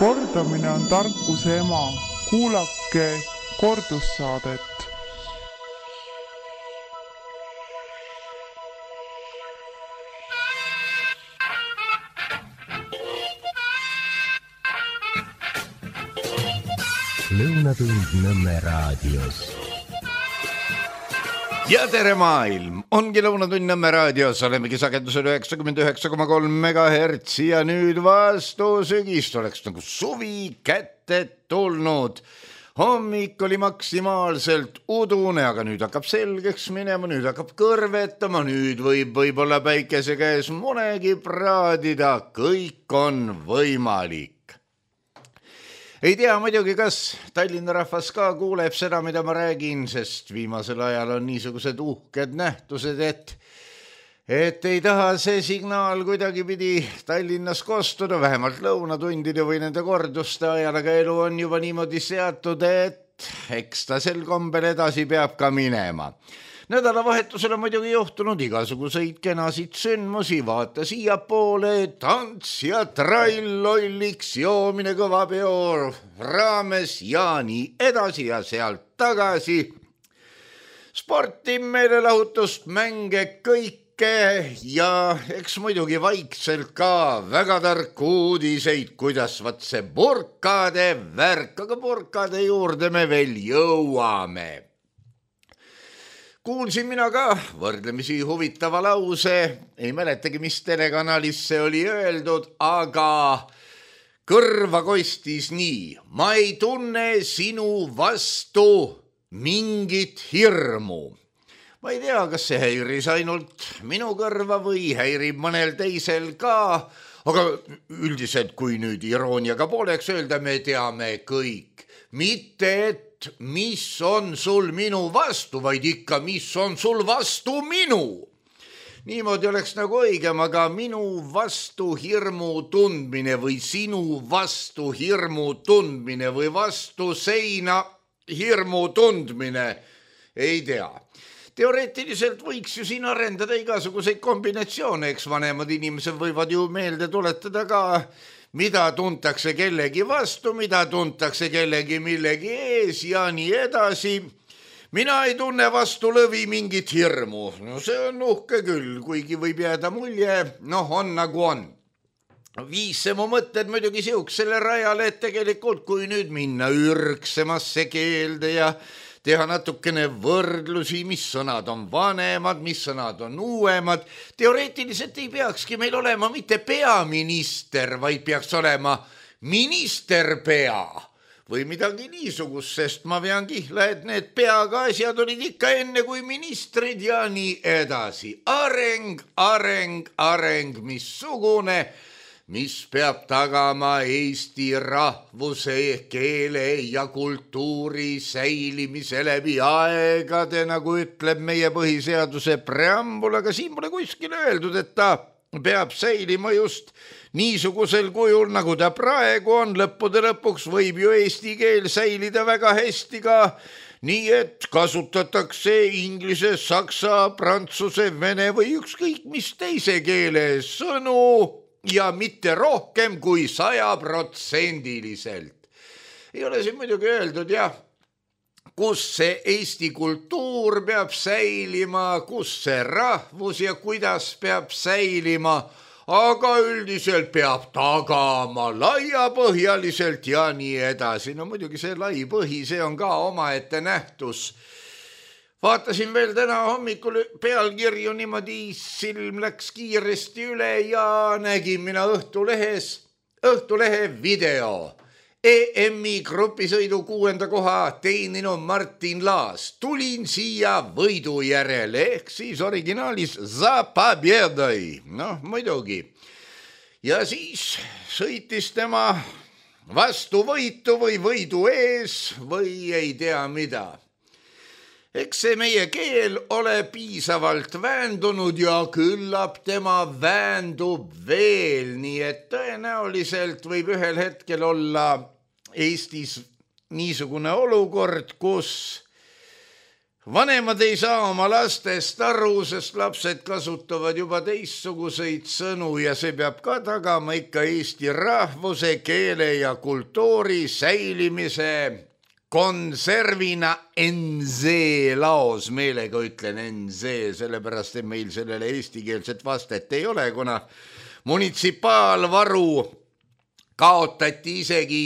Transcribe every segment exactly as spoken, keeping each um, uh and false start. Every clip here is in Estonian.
Kordamine on tarkuse ema. Kuulake kordussaadet. Lõunatund Nõmme raadios. Ja tere maailm! Ongi Lõunatund Nõmme raadios, olemegi sagedusel üheksakümmend üheksa koma kolm megahertsi ja nüüd vastu sügist oleks nagu suvi kätte tulnud. Hommik oli maksimaalselt udune, aga nüüd hakkab selgeks minema, nüüd hakkab kõrvetama, nüüd võib võib-olla päikese käes monegi praadida, kõik on võimalik. Ei tea muidugi, kas Tallinna rahvas ka kuuleb seda, mida ma räägin, sest viimasel ajal on niisugused uhked nähtused, et, et ei taha see signaal kuidagi pidi Tallinnas kostuda, vähemalt lõunatundide või nende korduste ajal, aga elu on juba niimoodi seatud, et eks ta sel kombel edasi peab ka minema. Nädalavahetusel on muidugi juhtunud igasuguseid kenasid sündmusi, vaata siia poole, tants ja trall, lolliks, joomine kõva peo raames ja nii edasi ja sealt tagasi. Sporti, meelelahutust, mänge, kõike ja eks muidugi vaikselt ka väga tarku uudiseid, kuidas vat see burkade värk, aga burkade juurde me veel jõuame. Kuulsin mina ka võrdlemisi huvitava lause, ei mäletagi, mis telekanalis see oli öeldud, aga kõrva kostis nii. Ma ei tunne sinu vastu mingit hirmu. Ma ei tea, kas see häiris ainult minu kõrva või häirib mõnel teisel ka, aga üldiselt kui nüüd irooniaga pooleks öelda, me teame kõik. Mitte et mis on sul minu vastu, vaid ikka, mis on sul vastu minu. Niimoodi oleks nagu õigem, aga minu vastu hirmu tundmine või sinu vastu hirmu tundmine või vastu seina hirmu tundmine, ei tea. Teoreetiliselt võiks ju siin arendada igasuguseid kombinatsioone, eks vanemad inimesed võivad ju meelde tuletada ka, mida tuntakse kellegi vastu, mida tuntakse kellegi millegi ees ja nii edasi. Mina ei tunne vastu lõvi mingit hirmu. No see on uhke küll, kuigi võib jääda mulje, noh on nagu on. Viis see mu mõtted muidugi siuksele rajale, et tegelikult kui nüüd minna ürgsemasse keelde ja teha natukene võrdlusi, mis sõnad on vanemad, mis sõnad on uuemad. Teoreetiliselt ei peakski meil olema mitte peaminister, vaid peaks olema ministerpea või midagi niisugust, sest ma vean kihla, et need peaga asjad olid ikka enne kui ministrid ja nii edasi. Areng, areng, areng, missugune, mis peab tagama Eesti rahvuse, keele ja kultuuri säilimise läbi aegade, nagu ütleb meie põhiseaduse preambul, aga siin pole kuskil öeldud, et ta peab säilima just niisugusel kujul, nagu ta praegu on. Lõppude lõpuks võib ju eesti keel säilida väga hästi ka nii, et kasutatakse inglise, saksa, prantsuse, vene või ükskõik mis teise keele sõnu ja mitte rohkem kui sajaprotsendiliselt. Ei ole siin muidugi öeldud, jah, kus see eesti kultuur peab säilima, kus see rahvus ja kuidas peab säilima, aga üldiselt peab tagama laiapõhjaliselt ja nii edasi. No muidugi see lai põhi, see on ka omaette nähtus. Vaatasin veel täna hommikul pealkirju, niimoodi silm läks kiiresti üle ja nägin mina Õhtulehes, Õhtulehe video. E M-i grupisõidu kuuenda koha teeninu Martin Laas. Tulin siia võidu järele, ehk siis originaalis za pobjedой. Noh, muidugi. Ja siis sõitis tema vastu võitu või võidu ees või ei tea mida. Eks see meie keel ole piisavalt väändunud ja küllap tema väändub veel, nii et tõenäoliselt võib ühel hetkel olla Eestis niisugune olukord, kus vanemad ei saa oma lastest aru, sest lapsed kasutavad juba teistsuguseid sõnu ja see peab ka tagama ikka eesti rahvuse, keele ja kultuuri säilimise konservina N Z laos, meelega ütlen N Z, sellepärast et meil sellele eestikeelset vastet ei ole, kuna munitsipaalvaru kaotati isegi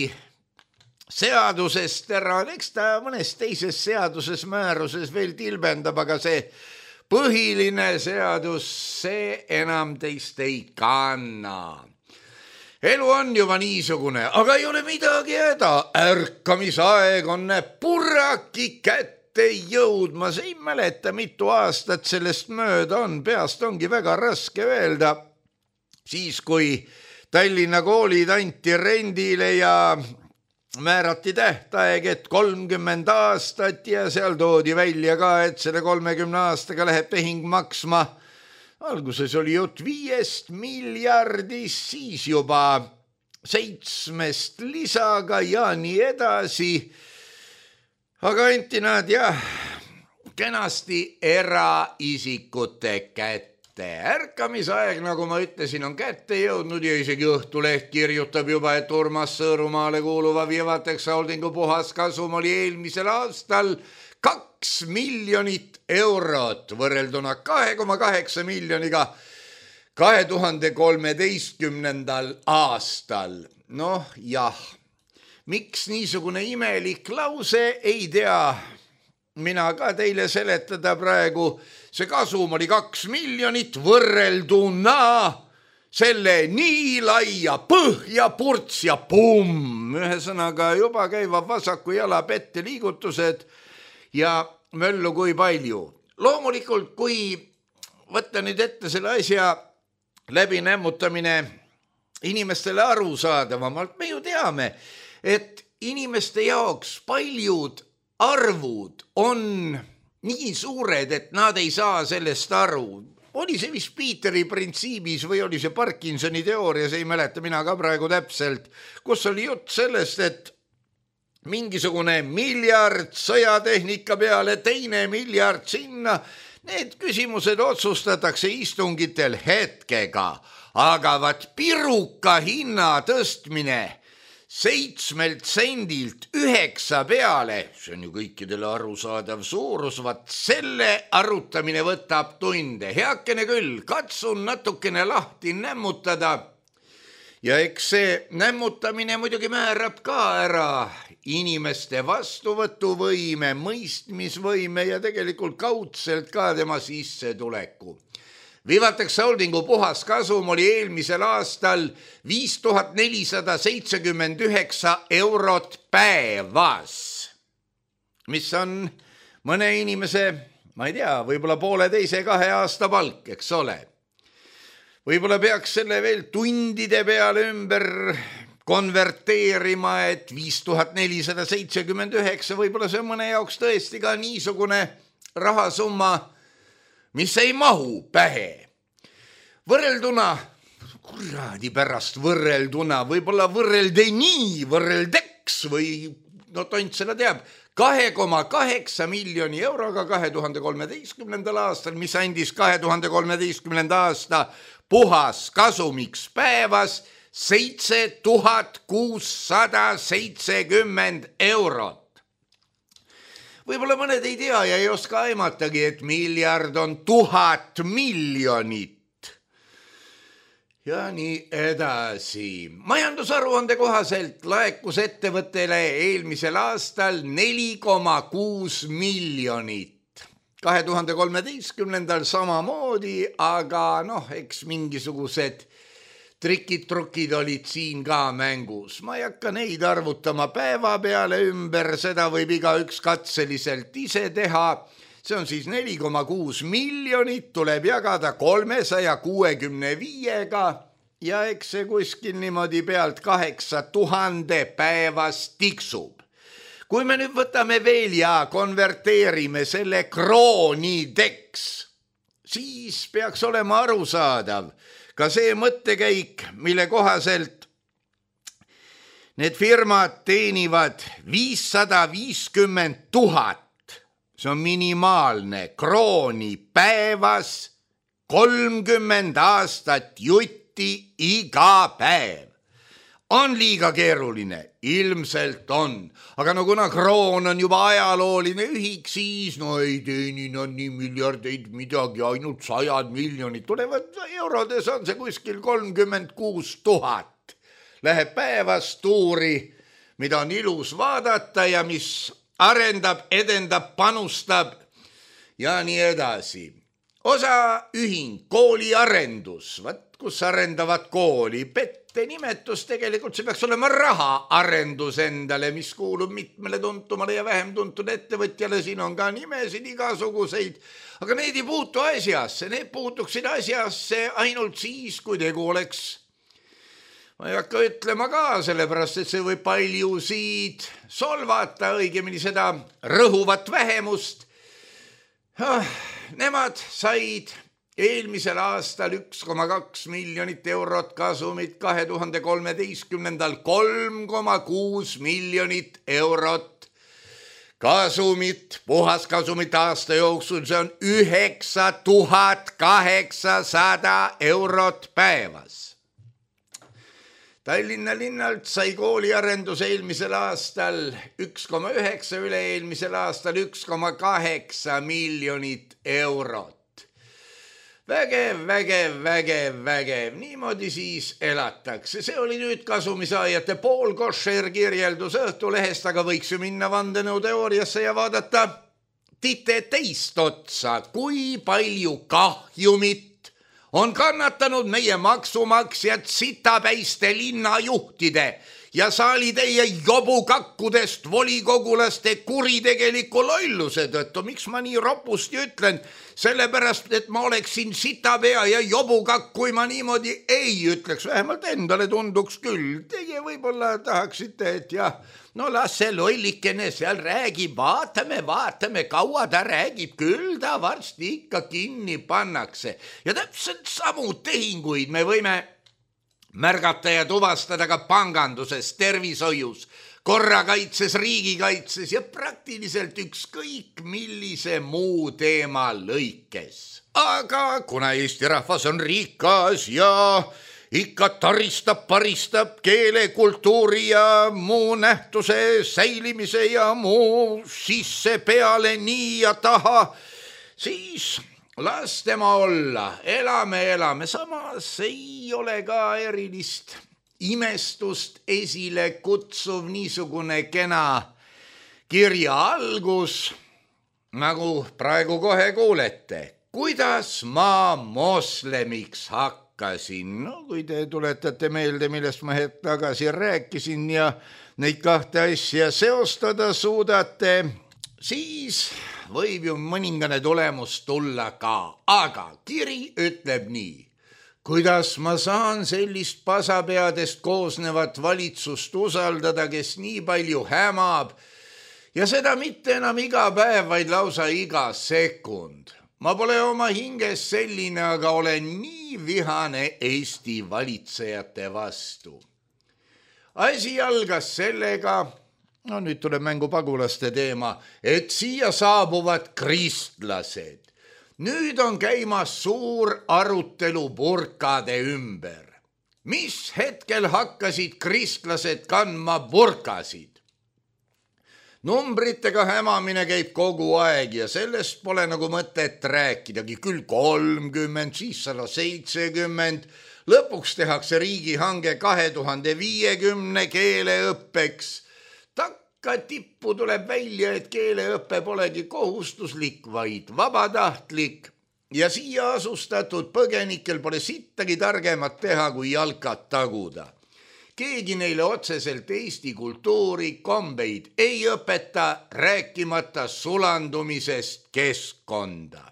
seadusest ära, eks ta mõnes teises seaduses, määruses veel tilbendab, aga see põhiline seadus, see enam teist ei kanna. Elu on juba niisugune, aga ei ole midagi häda. Ärkamisaeg on purraki kätte jõudmas. Ei mäleta, mitu aastat sellest mööda on. Peast ongi väga raske öelda. Siis, kui Tallinna koolid anti rendile ja määrati tähtaeg, et kolmkümmend aastat ja seal toodi välja ka, et selle kolmekümne aastaga läheb tehing maksma. Alguses oli jutt viiest miljardist, siis juba seitsmest lisaga ja nii edasi. Aga anti nad jah, kenasti eraisikute kätte. Ärkamisaeg, nagu ma ütlesin, on kätte jõudnud ja isegi Õhtuleht kirjutab juba, et Urmas Sõõrumaale kuuluva Vivatex Holdingu puhas kasum oli eelmisel aastal kaks miljonit eurot võrrelduna kahe koma kaheksa miljoniga kahe tuhande kolmeteistkümnendal aastal. Noh jah, miks niisugune imelik lause, ei tea mina ka teile seletada praegu. See kasum oli kaks miljonit võrrelduna selle nii laia põhja purts ja pumm. Ühesõnaga juba käivad vasaku jala pette liigutused ja möllu kui palju. Loomulikult, kui võtta nüüd ette selle asja läbi nämmutamine inimestele arusaadavamalt, me ju teame, et inimeste jaoks paljud arvud on nii suured, et nad ei saa sellest aru. Oli see vist Peteri printsiibis või oli see Parkinsoni teoorias, ei mäleta mina ka praegu täpselt, kus oli jutt sellest, et mingisugune miljard sõjatehnika peale, teine miljard sinna. Need küsimused otsustatakse istungitel hetkega, aga vat piruka hinna tõstmine seitsmelt sendilt üheksa peale, see on ju kõikidele arusaadav suurus, vat selle arutamine võtab tunde. Heakene küll, katsun natukene lahti nämmutada ja eks see nämmutamine muidugi määrab ka ära inimeste vastuvõtuvõime, mõistmisvõime ja tegelikult kaudselt ka tema sissetuleku. Vivatex Holdingu puhas kasum oli eelmisel aastal viis tuhat nelisada seitsekümmend üheksa eurot päevas, mis on mõne inimese, ma ei tea, võib-olla poole teise kahe aasta palk, eks ole. Võib-olla peaks selle veel tundide peale ümber konverteerima, et viis tuhat nelisada seitsekümmend üheksa, võib-olla see on mõne jaoks tõesti ka niisugune rahasumma, mis ei mahu pähe. Võrrelduna, kuradi pärast võrrelduna, võib-olla võrrelde nii, võrreldeks või, no tont seda teab, kahe koma kaheksa miljoni euroga kahe tuhande kolmeteistkümnendal aastal, mis andis kahe tuhande kolmeteistkümnenda aasta puhas kasumiks päevas seitse tuhat kuussada seitsekümmend eurot. Võib-olla mõned ei tea ja ei oska aimatagi, et miljard on tuhat miljonit. Ja nii edasi. Majandusaruande kohaselt laekus ettevõttele eelmisel aastal neli koma kuus miljonit. kahe tuhande kolmeteistkümnendal samamoodi, aga noh, eks mingisugused trikid-trukid olid siin ka mängus. Ma ei hakka neid arvutama päeva peale ümber, seda võib igaüks katseliselt ise teha. See on siis neli koma kuus miljonit, tuleb jagada kolmesaja kuuekümne viiega ja eks see kuskil niimoodi pealt kaheksa tuhande päevas tiksub. Kui me nüüd võtame veel ja konverteerime selle kroonideks, siis peaks olema arusaadav ka see mõttekäik, mille kohaselt need firmad teenivad viissada viiskümmend tuhat see on minimaalne, krooni päevas, kolmkümmend aastat jutti iga päev. On liiga keeruline, ilmselt on, aga no kuna kroon on juba ajalooline ühik, siis no ei teeni nad nii miljardeid midagi, ainult sajad miljonid tulevad, eurodes on see kuskil kolmkümmend kuus tuhat. Läheb päevas tuuri, mida on ilus vaadata ja mis arendab, edendab, panustab ja nii edasi. Osa ühing, kooliarendus, vaat kus arendavad kooli, pette nimetus tegelikult, see peaks olema rahaarendus endale, mis kuulub mitmele tuntumale ja vähem tuntud ettevõtjale, siin on ka nimesid igasuguseid, aga need ei puutu asjasse, need puutuksid asjasse ainult siis, kui tegu oleks. Ma ei hakka ütlema ka, sellepärast, et see võib paljusid solvata, õigemini seda rõhuvat vähemust. Nemad said eelmisel aastal üks koma kaks miljonit eurot kasumit, kahe tuhande kolmeteistkümnendal kolm koma kuus miljonit eurot kasumit, puhas kasumit aasta jooksul, see on üheksa tuhat kaheksasada eurot päevas. Tallinna linnalt sai kooliarendus eelmisel aastal üks koma üheksa, üle eelmisel aastal üks koma kaheksa miljonit eurot. Vägev, vägev, vägev, vägev, niimoodi siis elatakse. See oli nüüd kasumisaajate pool košer kirjeldus Õhtulehest, aga võiks ju minna vandenõuteooriasse ja vaadata tite teist otsa, kui palju kahjumit on kannatanud meie maksumaksjad sitapäiste linnajuhtide ja saalitäie jobukakkudest volikogulaste kuritegeliku lolluse tõttu. Miks ma nii ropusti ütlen? Sellepärast, et ma oleksin sitapea ja jobukakk, kui ma niimoodi ei ütleks. Vähemalt endale tunduks küll. Teie võib-olla tahaksite, et jah, no las see lollikene seal räägib, vaatame, vaatame, kaua ta räägib, küll ta varsti ikka kinni pannakse. Ja täpselt samu tehinguid me võime märgata ja tuvastada ka panganduses, tervishoius, korrakaitses, riigikaitses ja praktiliselt ükskõik millise muu teema lõikes. Aga kuna Eesti rahvas on rikas ja ikka taristab, paristab keele, kultuuri ja muu nähtuse säilimise ja muu sisse peale nii ja taha, siis las tema olla, elame, elame, samas ei ole ka erilist imestust esile kutsuv niisugune kena kirja algus, nagu praegu kohe kuulete. Kuidas ma moslemiks hakkasin? No kui te tuletate meelde, millest ma hetk tagasi rääkisin ja neid kahte asja seostada suudate, siis võib ju mõningane tulemus tulla ka, aga kiri ütleb nii. Kuidas ma saan sellist pasapeadest koosnevat valitsust usaldada, kes nii palju hämab ja seda mitte enam iga päev, vaid lausa iga sekund. Ma pole oma hinges selline, aga olen nii vihane Eesti valitsejate vastu. Asi algas sellega, no nüüd tuleb mängu pagulaste teema, et siia saabuvad kristlased. Nüüd on käimas suur arutelu burkade ümber. Mis hetkel hakkasid kristlased kandma burkasid? Numbritega hämamine käib kogu aeg ja sellest pole nagu mõtet rääkidagi. Küll kolmkümmend, siis sada seitsekümmend. Lõpuks tehakse riigihange kahe tuhande viiekümne keeleõppeks. Takka tippu tuleb välja, et keeleõppe polegi kohustuslik, vaid vabatahtlik. Ja siia asustatud põgenikel pole sittagi targemat teha, kui jalkad taguda. Keegi neile otseselt Eesti kultuuri kombeid ei õpeta, rääkimata sulandumisest keskkonda.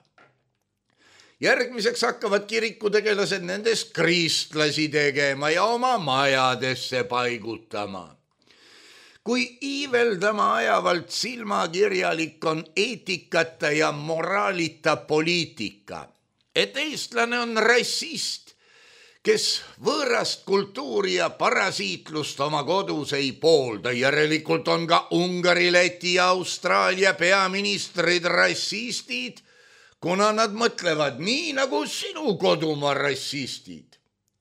Järgmiseks hakkavad kirikutegelased nendest kristlasi tegema ja oma majadesse paigutama. Kui iiveldama ajavalt silmakirjalik on eetikata ja moraalita poliitika, et eestlane on rassist, kes võõrast kultuuri ja parasiitlust oma kodus ei poolda. Järelikult on ka Ungari, Läti ja Austraalia peaministrid rassistid, kuna nad mõtlevad nii nagu sinu kodumaa rassistid.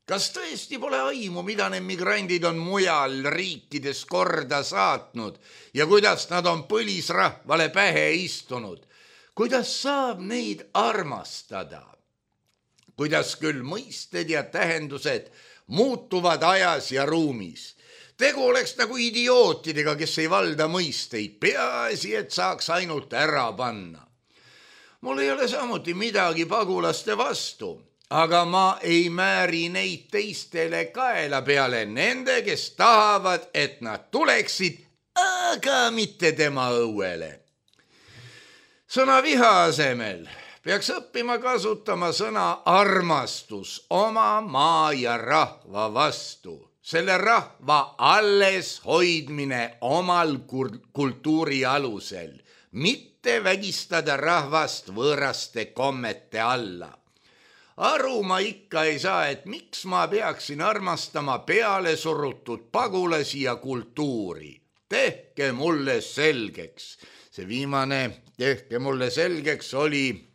Kas tõesti pole aimu, mida need migrandid on mujal riikides korda saatnud ja kuidas nad on põlisrahvale pähe istunud? Kuidas saab neid armastada? Kuidas küll mõisted ja tähendused muutuvad ajas ja ruumis. Tegu oleks nagu idiootidega, kes ei valda mõisteid, peaasi, et saaks ainult ära panna. Mul ei ole samuti midagi pagulaste vastu, aga ma ei määri neid teistele kaela peale nende, kes tahavad, et nad tuleksid, aga mitte tema õuele. Sõna viha asemel peaks õppima kasutama sõna armastus oma maa ja rahva vastu. Selle rahva alles hoidmine omal kultuuri alusel, mitte vägistada rahvast võõraste kommete alla. Aru ma ikka ei saa, et miks ma peaksin armastama peale surutud pagulasi ja kultuuri. Tehke mulle selgeks. See viimane tehke mulle selgeks oli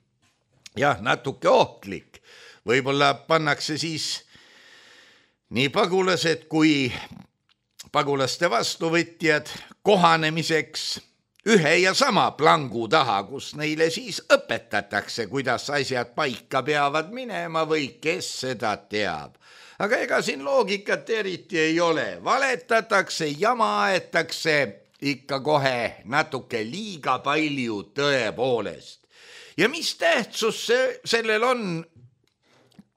jah, natuke ohtlik. Võib-olla pannakse siis nii pagulased kui pagulaste vastuvõtjad kohanemiseks ühe ja sama plangu taha, kus neile siis õpetatakse, kuidas asjad paika peavad minema või kes seda teab. Aga ega siin loogikat eriti ei ole. Valetatakse, jama aetakse ikka kohe natuke liiga palju tõepoolest. Ja mis tähtsus see, sellel on,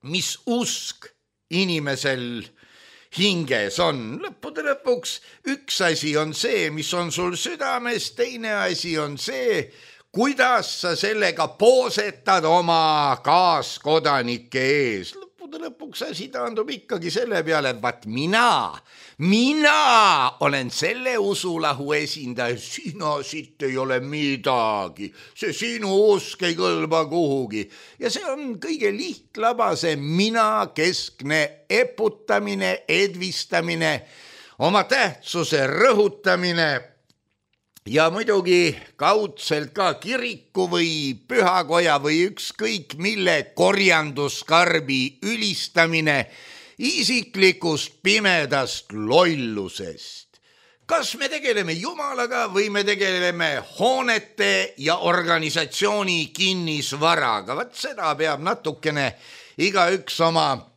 mis usk inimesel hinges on? Lõppude lõpuks üks asi on see, mis on sul südames, teine asi on see, kuidas sa sellega poosetad oma kaaskodanike ees. Lõppude lõpuks asi taandub ikkagi selle peale, et vaat mina, mina olen selle usulahu esindaja, sina siit ei ole midagi, see sinu usk ei kõlba kuhugi. Ja see on kõige lihtlabase mina keskne eputamine, edvistamine, oma tähtsuse rõhutamine ja muidugi kaudselt ka kiriku või pühakoja või ükskõik mille korjanduskarbi ülistamine isiklikust pimedast lollusest. Kas me tegeleme Jumalaga või me tegeleme hoonete ja organisatsiooni kinnisvaraga? Vat seda peab natukene igaüks oma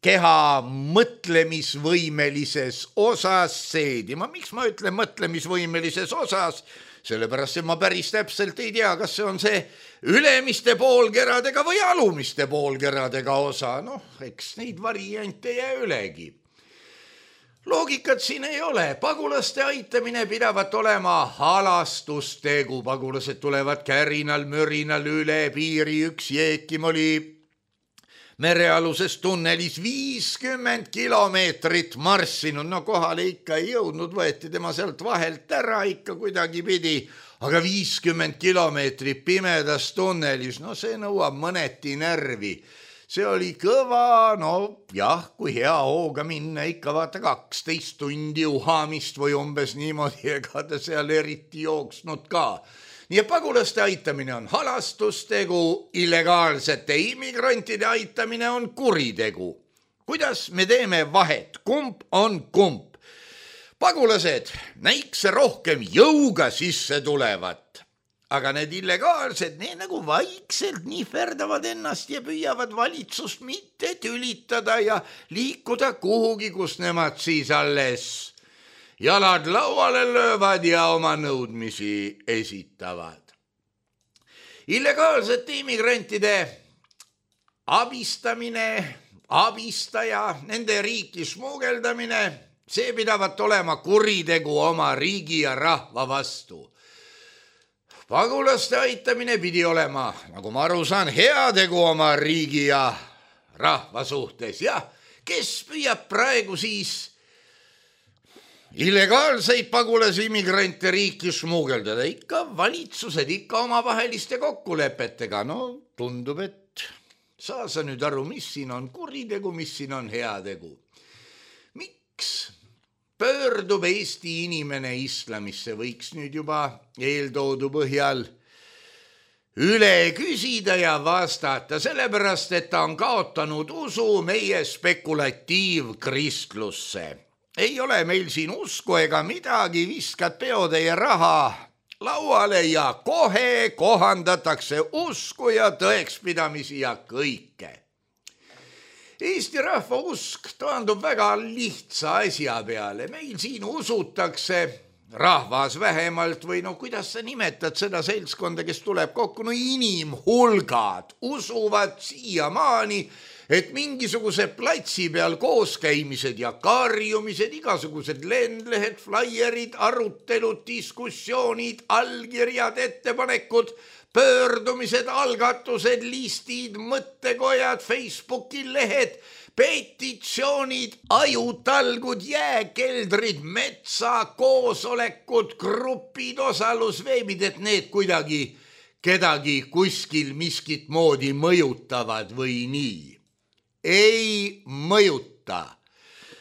keha mõtlemisvõimelises osas seedima. Miks ma ütlen mõtlemisvõimelises osas? Sellepärast, et ma päris täpselt ei tea, kas see on see ülemiste poolkeradega või alumiste poolkeradega osa. Noh, eks neid variante jää ülegi. Loogikat siin ei ole. Pagulaste aitamine pidavat olema halastustegu. Pagulased tulevad kärinal, mürinal üle piiri. Üks jeekim oli merealuses tunnelis viiskümmend kilomeetrit marssinud, no kohale ikka ei jõudnud, võeti tema sealt vahelt ära ikka kuidagi pidi, aga viiskümmend kilomeetrit pimedas tunnelis, no see nõuab mõneti närvi. See oli kõva, no jah, kui hea hooga minna, ikka vaata kaksteist tundi uhamist või umbes niimoodi, ega ta seal eriti jooksnud ka. Nii et pagulaste aitamine on halastustegu, illegaalsete immigrantide aitamine on kuritegu. Kuidas me teeme vahet? Kumb on kumb? Pagulased näikse rohkem jõuga sisse tulevat, aga need illegaalsed, need nagu vaikselt nihverdavad ennast ja püüavad valitsust mitte tülitada ja liikuda kuhugi, kus nemad siis alles jalad lauale löövad ja oma nõudmisi esitavad. Illegaalsete immigrantide abistamine, abistaja, nende riiki smuugeldamine, see pidavat olema kuritegu oma riigi ja rahva vastu. Pagulaste aitamine pidi olema, nagu ma aru saan, heategu oma riigi ja rahva suhtes. Ja kes püüab praegu siis illegaalseid pagulasi immigrante riiki smuugeldada? Ikka valitsused, ikka omavaheliste kokkulepetega. No tundub, et Saa sa nüüd aru, mis siin on kuritegu, mis siin on heategu. Miks pöördub Eesti inimene islamisse, võiks nüüd juba eeltoodu põhjal üle küsida ja vastata, sellepärast, et ta on kaotanud usu meie spekulatiivkristlusse. Ei ole meil siin usku ega midagi, viskad peotäie raha lauale ja kohe kohandatakse usku ja tõekspidamisi ja kõike. Eesti rahva usk taandub väga lihtsa asja peale. Meil siin usutakse, rahvas vähemalt või no kuidas sa nimetad seda seltskonda, kes tuleb kokku, no inimhulgad usuvad siiamaani, et mingisuguse platsi peal kooskäimised ja karjumised, igasugused lendlehed, flaierid, arutelud, diskussioonid, allkirjad, ettepanekud, pöördumised, algatused, listid, mõttekojad, Facebooki lehed, petitsioonid, ajutalgud, jääkeldrid, metsa, koosolekud, grupid, osalusveebid, et need kuidagi kedagi kuskil miskit moodi mõjutavad või nii. Ei mõjuta.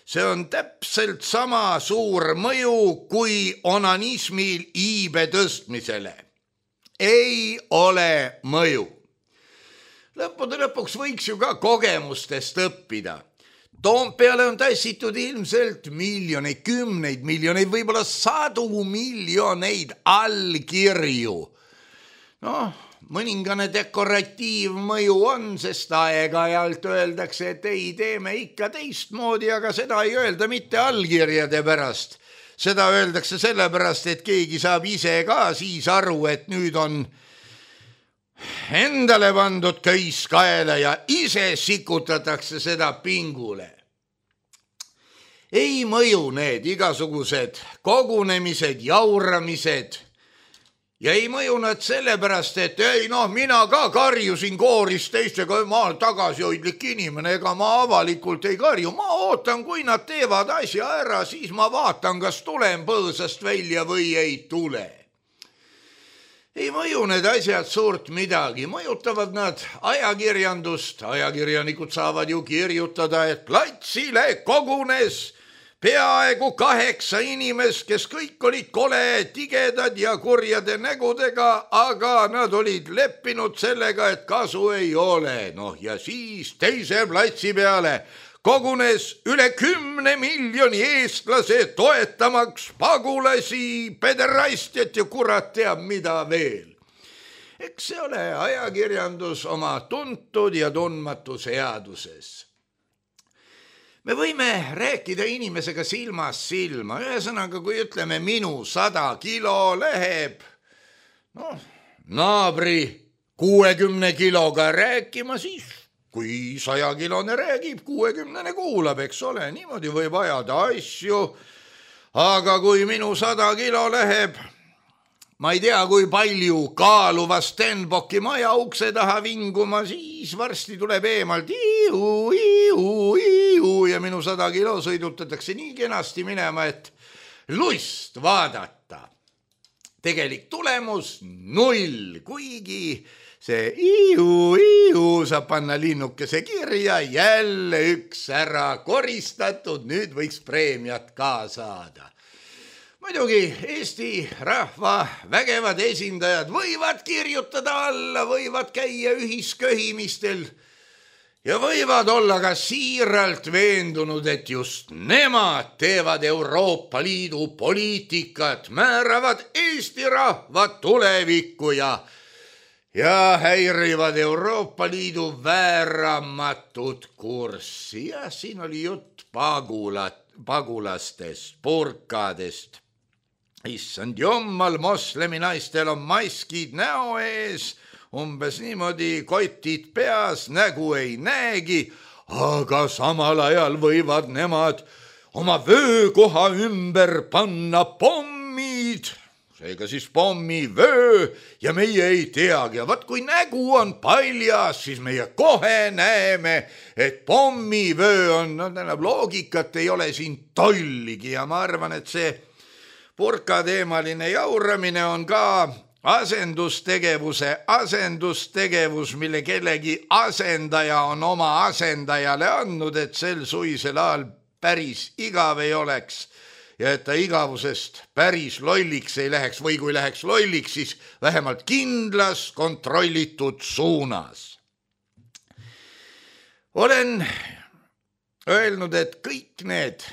See on täpselt sama suur mõju kui onanismil iibe tõstmisele. Ei ole mõju. Lõppude lõpuks võiks ju ka kogemustest õppida. Toompeale on tassitud ilmselt miljoneid, kümneid miljoneid, võib-olla sadu miljoneid allkirju. Noh, mõningane dekoratiivmõju on, sest aeg-ajalt öeldakse, et ei, teeme ikka teistmoodi, aga seda ei öelda mitte allkirjade pärast. Seda öeldakse sellepärast, et keegi saab ise ka siis aru, et nüüd on endale pandud köis kaela ja ise sikutatakse seda pingule. Ei mõju need igasugused kogunemised, jauramised. Ja ei mõju nad sellepärast, et ei noh, mina ka karjusin kooris teistega, ma olen tagasihoidlik inimene, ega ma avalikult ei karju. Ma ootan, kui nad teevad asja ära, siis ma vaatan, kas tulen põõsast välja või ei tule. Ei mõju need asjad suurt midagi, mõjutavad nad ajakirjandust. Ajakirjanikud saavad ju kirjutada, et platsile kogunes peaaegu kaheksa inimest, kes kõik olid kole, tigedad ja kurjade nägudega, aga nad olid leppinud sellega, et kasu ei ole. Noh, ja siis teise platsi peale kogunes üle kümne miljoni eestlase toetamaks pagulasi, pederastiat ja kurat teab mida veel. Eks see ole ajakirjandus oma tuntud ja tundmatu seaduses. Me võime rääkida inimesega silmast silma. Ühesõnaga, kui ütleme minu sada kilo läheb no, naabri kuuekümne kiloga rääkima, siis kui sajakilone räägib, kuuekümnene kuulab, eks ole, niimoodi võib ajada asju. Aga kui minu sada kilo läheb, ma ei tea, kui palju kaaluva Stenbocki maja ukse taha vinguma, siis varsti tuleb eemalt iu, iu, iu ja minu sada kilo sõidutatakse nii kenasti minema, et lust vaadata. Tegelik tulemus null, kuigi see iu, iu saab panna linnukese kirja, jälle üks ära koristatud, nüüd võiks preemiat ka saada. Muidugi Eesti rahva vägevad esindajad võivad kirjutada alla, võivad käia ühisköhimistel ja võivad olla ka siiralt veendunud, et just nemad teevad Euroopa Liidu poliitikat, määravad Eesti rahva tulevikku ja, ja häirivad Euroopa Liidu vääramatut kurssi. Ja siin oli jutt pagulat, pagulastest, purkadest. Issand jummal, moslemi naistel on maskid näo ees, umbes niimoodi kotid peas, nägu ei näegi, aga samal ajal võivad nemad oma vöökoha ümber panna pommid. Seega siis pommi vöö ja meie ei teagi. Ja vaat kui nägu on paljas, siis meie kohe näeme, et pommi vöö on, no tähendab, loogikat ei ole siin tolligi ja ma arvan, et see purkateemaline jauramine on ka asendustegevuse asendustegevus, mille kellegi asendaja on oma asendajale andnud, et sel suisel ajal päris igav ei oleks ja et ta igavusest päris lolliks ei läheks või kui läheks lolliks, siis vähemalt kindlas kontrollitud suunas. Olen öelnud, et kõik need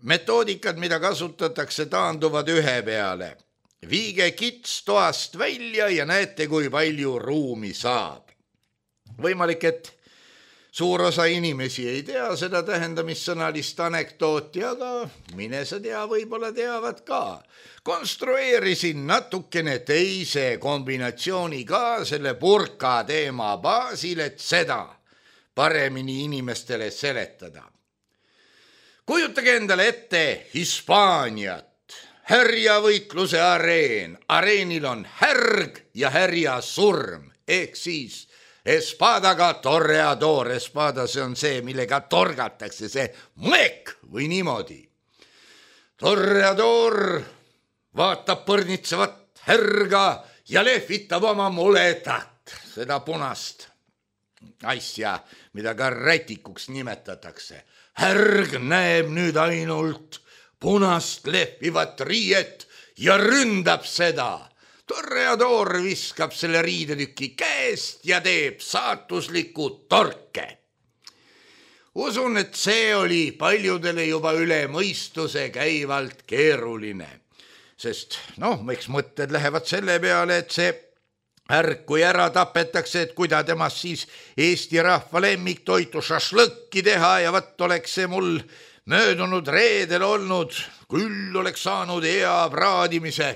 metoodikad, mida kasutatakse, taanduvad ühe peale. Viige kits toast välja ja näete, kui palju ruumi saab. Võimalik, et suur osa inimesi ei tea seda tähendamissõnalist anekdooti, aga mine sa tea, võib-olla teavad ka. Konstrueerisin natukene teise kombinatsiooni ka selle burka teema baasil, et seda paremini inimestele seletada. Kujutage endale ette Hispaaniat, härjavõitluse areen. Areenil on härg ja härja surm, ehk siis espadaga torreador. Espada, see on see, millega torgatakse, see mõek või niimoodi. Torreador vaatab põrnitsevat härga ja lehvitab oma muletat, seda punast asja, mida ka rätikuks nimetatakse. Härg näeb nüüd ainult punast lehvivat riiet ja ründab seda. Torreador viskab selle riidetüki käest ja teeb saatusliku torke. Usun, et see oli paljudele juba üle mõistuse käivalt keeruline, sest noh, eks mõtted lähevad selle peale, et see härg, kui ära tapetakse, et kuida temast siis Eesti rahva lemmiktoitu šašlõkki teha ja võtt oleks see mul möödunud reedel olnud, küll oleks saanud hea praadimise.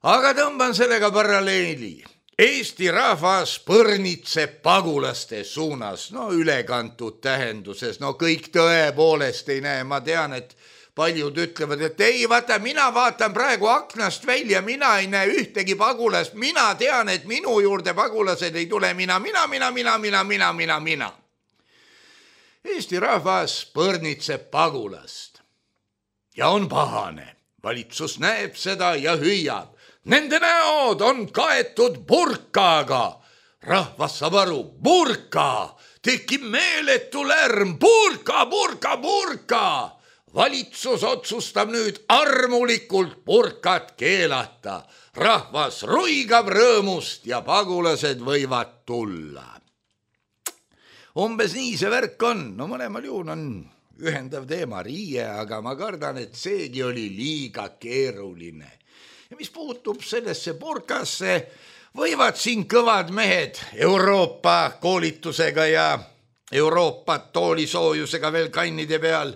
Aga tõmban sellega paralleeli. Eesti rahvas põrnitseb pagulaste suunas, no ülekantud tähenduses, no kõik tõepoolest ei näe, ma tean, et paljud ütlevad, et ei, vaata, mina vaatan praegu aknast välja, mina ei näe ühtegi pagulast, mina tean, et minu juurde pagulased ei tule, mina, mina, mina, mina, mina, mina, mina, mina. Eesti rahvas põrnitseb pagulast ja on pahane. Valitsus näeb seda ja hüüab. Nende näod on kaetud burkaga. Rahvas saab aru, burka, tekib meeletu lärm, burka, burka, burka. Valitsus otsustab nüüd armulikult burkat keelata. Rahvas ruigab rõõmust ja pagulased võivad tulla. Umbes nii see värk on. No mõlemal juhul on ühendav teema riie, aga ma kardan, et seegi oli liiga keeruline. Ja mis puutub sellesse burkasse, võivad siin kõvad mehed Euroopa koolitusega ja Euroopa toolisoojusega veel kannide peal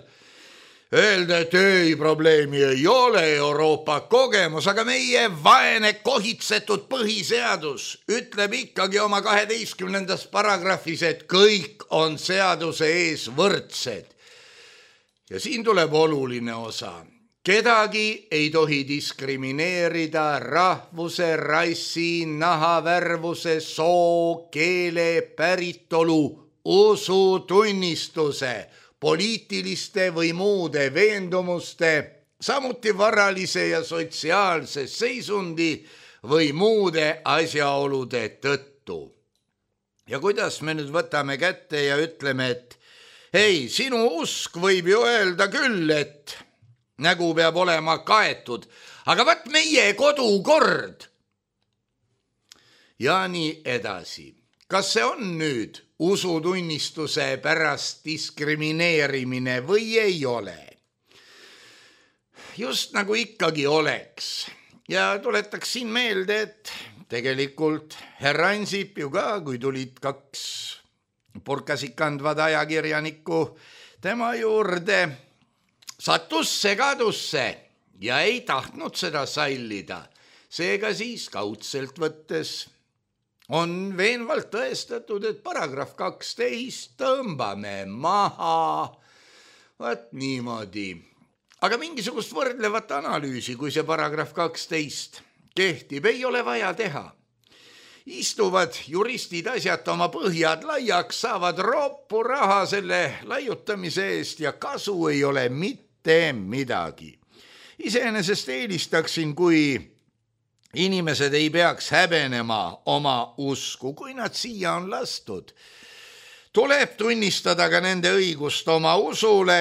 öelda, et ei, probleemi ei ole, Euroopa kogemus, aga meie vaene kohitsetud põhiseadus ütleb ikkagi oma kaheteistkümnendas paragrahvis, et kõik on seaduse ees võrdsed. Ja siin tuleb oluline osa. Kedagi ei tohi diskrimineerida rahvuse, rassi, nahavärvuse, soo, keele, päritolu, usutunnistuse, poliitiliste või muude veendumuste, samuti varalise ja sotsiaalse seisundi või muude asjaolude tõttu. Ja kuidas me nüüd võtame kätte ja ütleme, et hei, sinu usk võib ju öelda küll, et nägu peab olema kaetud, aga võt meie kodukord. Ja nii edasi. Kas see on nüüd usutunnistuse pärast diskrimineerimine või ei ole? Just nagu ikkagi oleks. Ja tuletaksin meelde, et tegelikult härra Ansip ju ka, kui tulid kaks purkasik kandvad ajakirjanikku tema juurde, sattus segadusse ja ei tahtnud seda sallida. Seega siis kaudselt võttes on veenvalt tõestatud, et paragrahv kaksteist tõmbame maha. Vaat niimoodi. Aga mingisugust võrdlevat analüüsi, kui see paragrahv kaksteist kehtib, ei ole vaja teha. Istuvad juristid asjata oma põhjad laiaks, saavad roppu raha selle laiutamise eest ja kasu ei ole mitte midagi. Iseenesest eelistaksin, kui inimesed ei peaks häbenema oma usku, kui nad siia on lastud. Tuleb tunnistada ka nende õigust oma usule,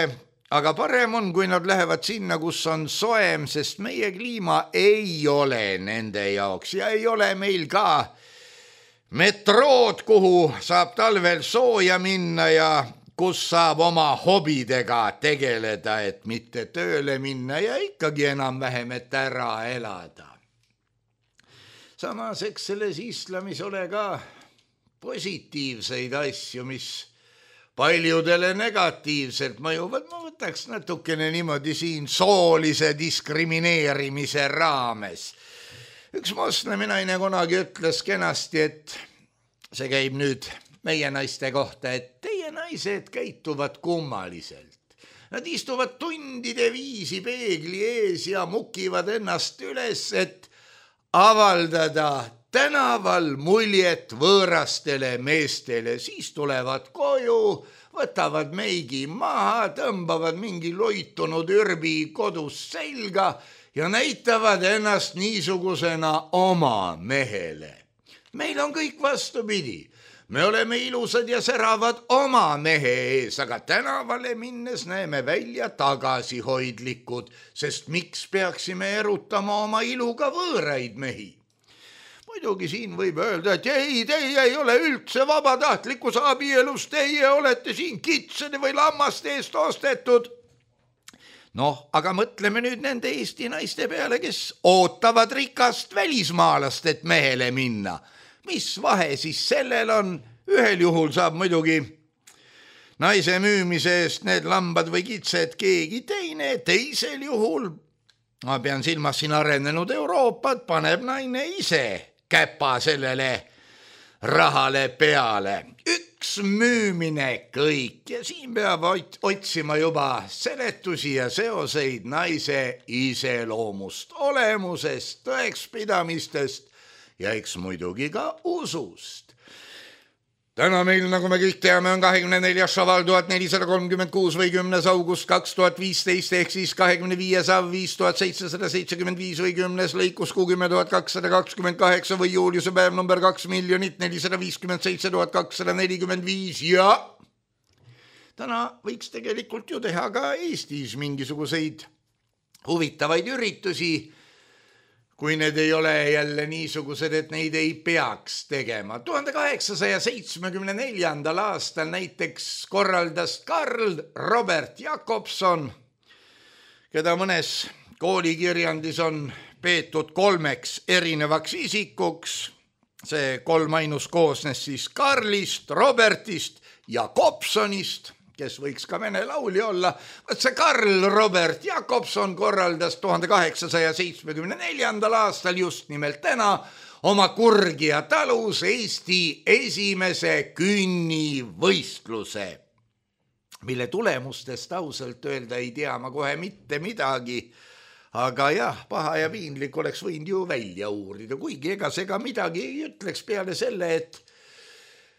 aga parem on, kui nad lähevad sinna, kus on soem, sest meie kliima ei ole nende jaoks ja ei ole meil ka metrood, kuhu saab talvel sooja minna ja kus saab oma hobidega tegeleda, et mitte tööle minna ja ikkagi enam-vähem, et ära elada. Samas, eks selles islamis ole ka positiivseid asju, mis paljudele negatiivselt mõjuvad. Ma võtaks natukene niimoodi siin soolise diskrimineerimise raames. Üks moslemi naine kunagi ütles kenasti, et see käib nüüd meie naiste kohta, et teie naised käituvad kummaliselt. Nad istuvad tundide viisi peegli ees ja mukivad ennast üles, et avaldada tänaval muljet võõrastele meestele. Siis tulevad koju, võtavad meigi maha, tõmbavad mingi loitunud ürbi kodus selga ja näitavad ennast niisugusena oma mehele. Meil on kõik vastupidi. Me oleme ilusad ja säravad oma mehe ees, aga tänavale minnes näeme välja tagasihoidlikud, sest miks peaksime erutama oma iluga võõraid mehi? Muidugi siin võib öelda, et ei, teie ei ole üldse vabatahtlikus abielus, teie olete siin kitsede või lammaste eest ostetud. Noh, aga mõtleme nüüd nende Eesti naiste peale, kes ootavad rikast välismaalast, et mehele minna. Mis vahe siis sellel on? Ühel juhul saab muidugi naise müümise eest need lambad või kitsed keegi teine, teisel juhul, ma pean silmas siin arenenud Euroopat, paneb naine ise käpa sellele rahale peale. Üks müümine kõik ja siin peab otsima juba seletusi ja seoseid naise iseloomust, olemusest, tõekspidamistest ja eks muidugi ka usust. Täna meil, nagu me kõik teame, on kahekümne neljas šaval tuhat nelisada kolmkümmend kuus või kümnes august kaks tuhat viisteist ehk siis kahekümne viies av viis tuhat seitsesada seitsekümmend viis või kümnes lõikus kuuskümmend tuhat kakssada kakskümmend kaheksa või juuliuse päev number kaks miljonit nelisada viiskümmend seitse tuhat kakssada nelikümmend viis ja täna võiks tegelikult ju teha ka Eestis mingisuguseid huvitavaid üritusi, kui need ei ole jälle niisugused, et neid ei peaks tegema. tuhande kaheksasaja seitsmekümne neljandal aastal näiteks korraldas Karl Robert Jakobson, keda mõnes koolikirjandis on peetud kolmeks erinevaks isikuks. See kolm ainus koosnes siis Karlist, Robertist ja Jakobsonist, kes võiks ka vene laulja olla. Võt see Karl Robert Jakobson korraldas tuhande kaheksasaja seitsmekümne neljandal aastal just nimelt täna oma Kurgia talus Eesti esimese künnivõistluse, mille tulemustest ausalt öelda ei tea ma kohe mitte midagi, aga jah, paha ja piinlik oleks võinud ju välja uurida, kuigi ega see ka midagi ei ütleks peale selle, et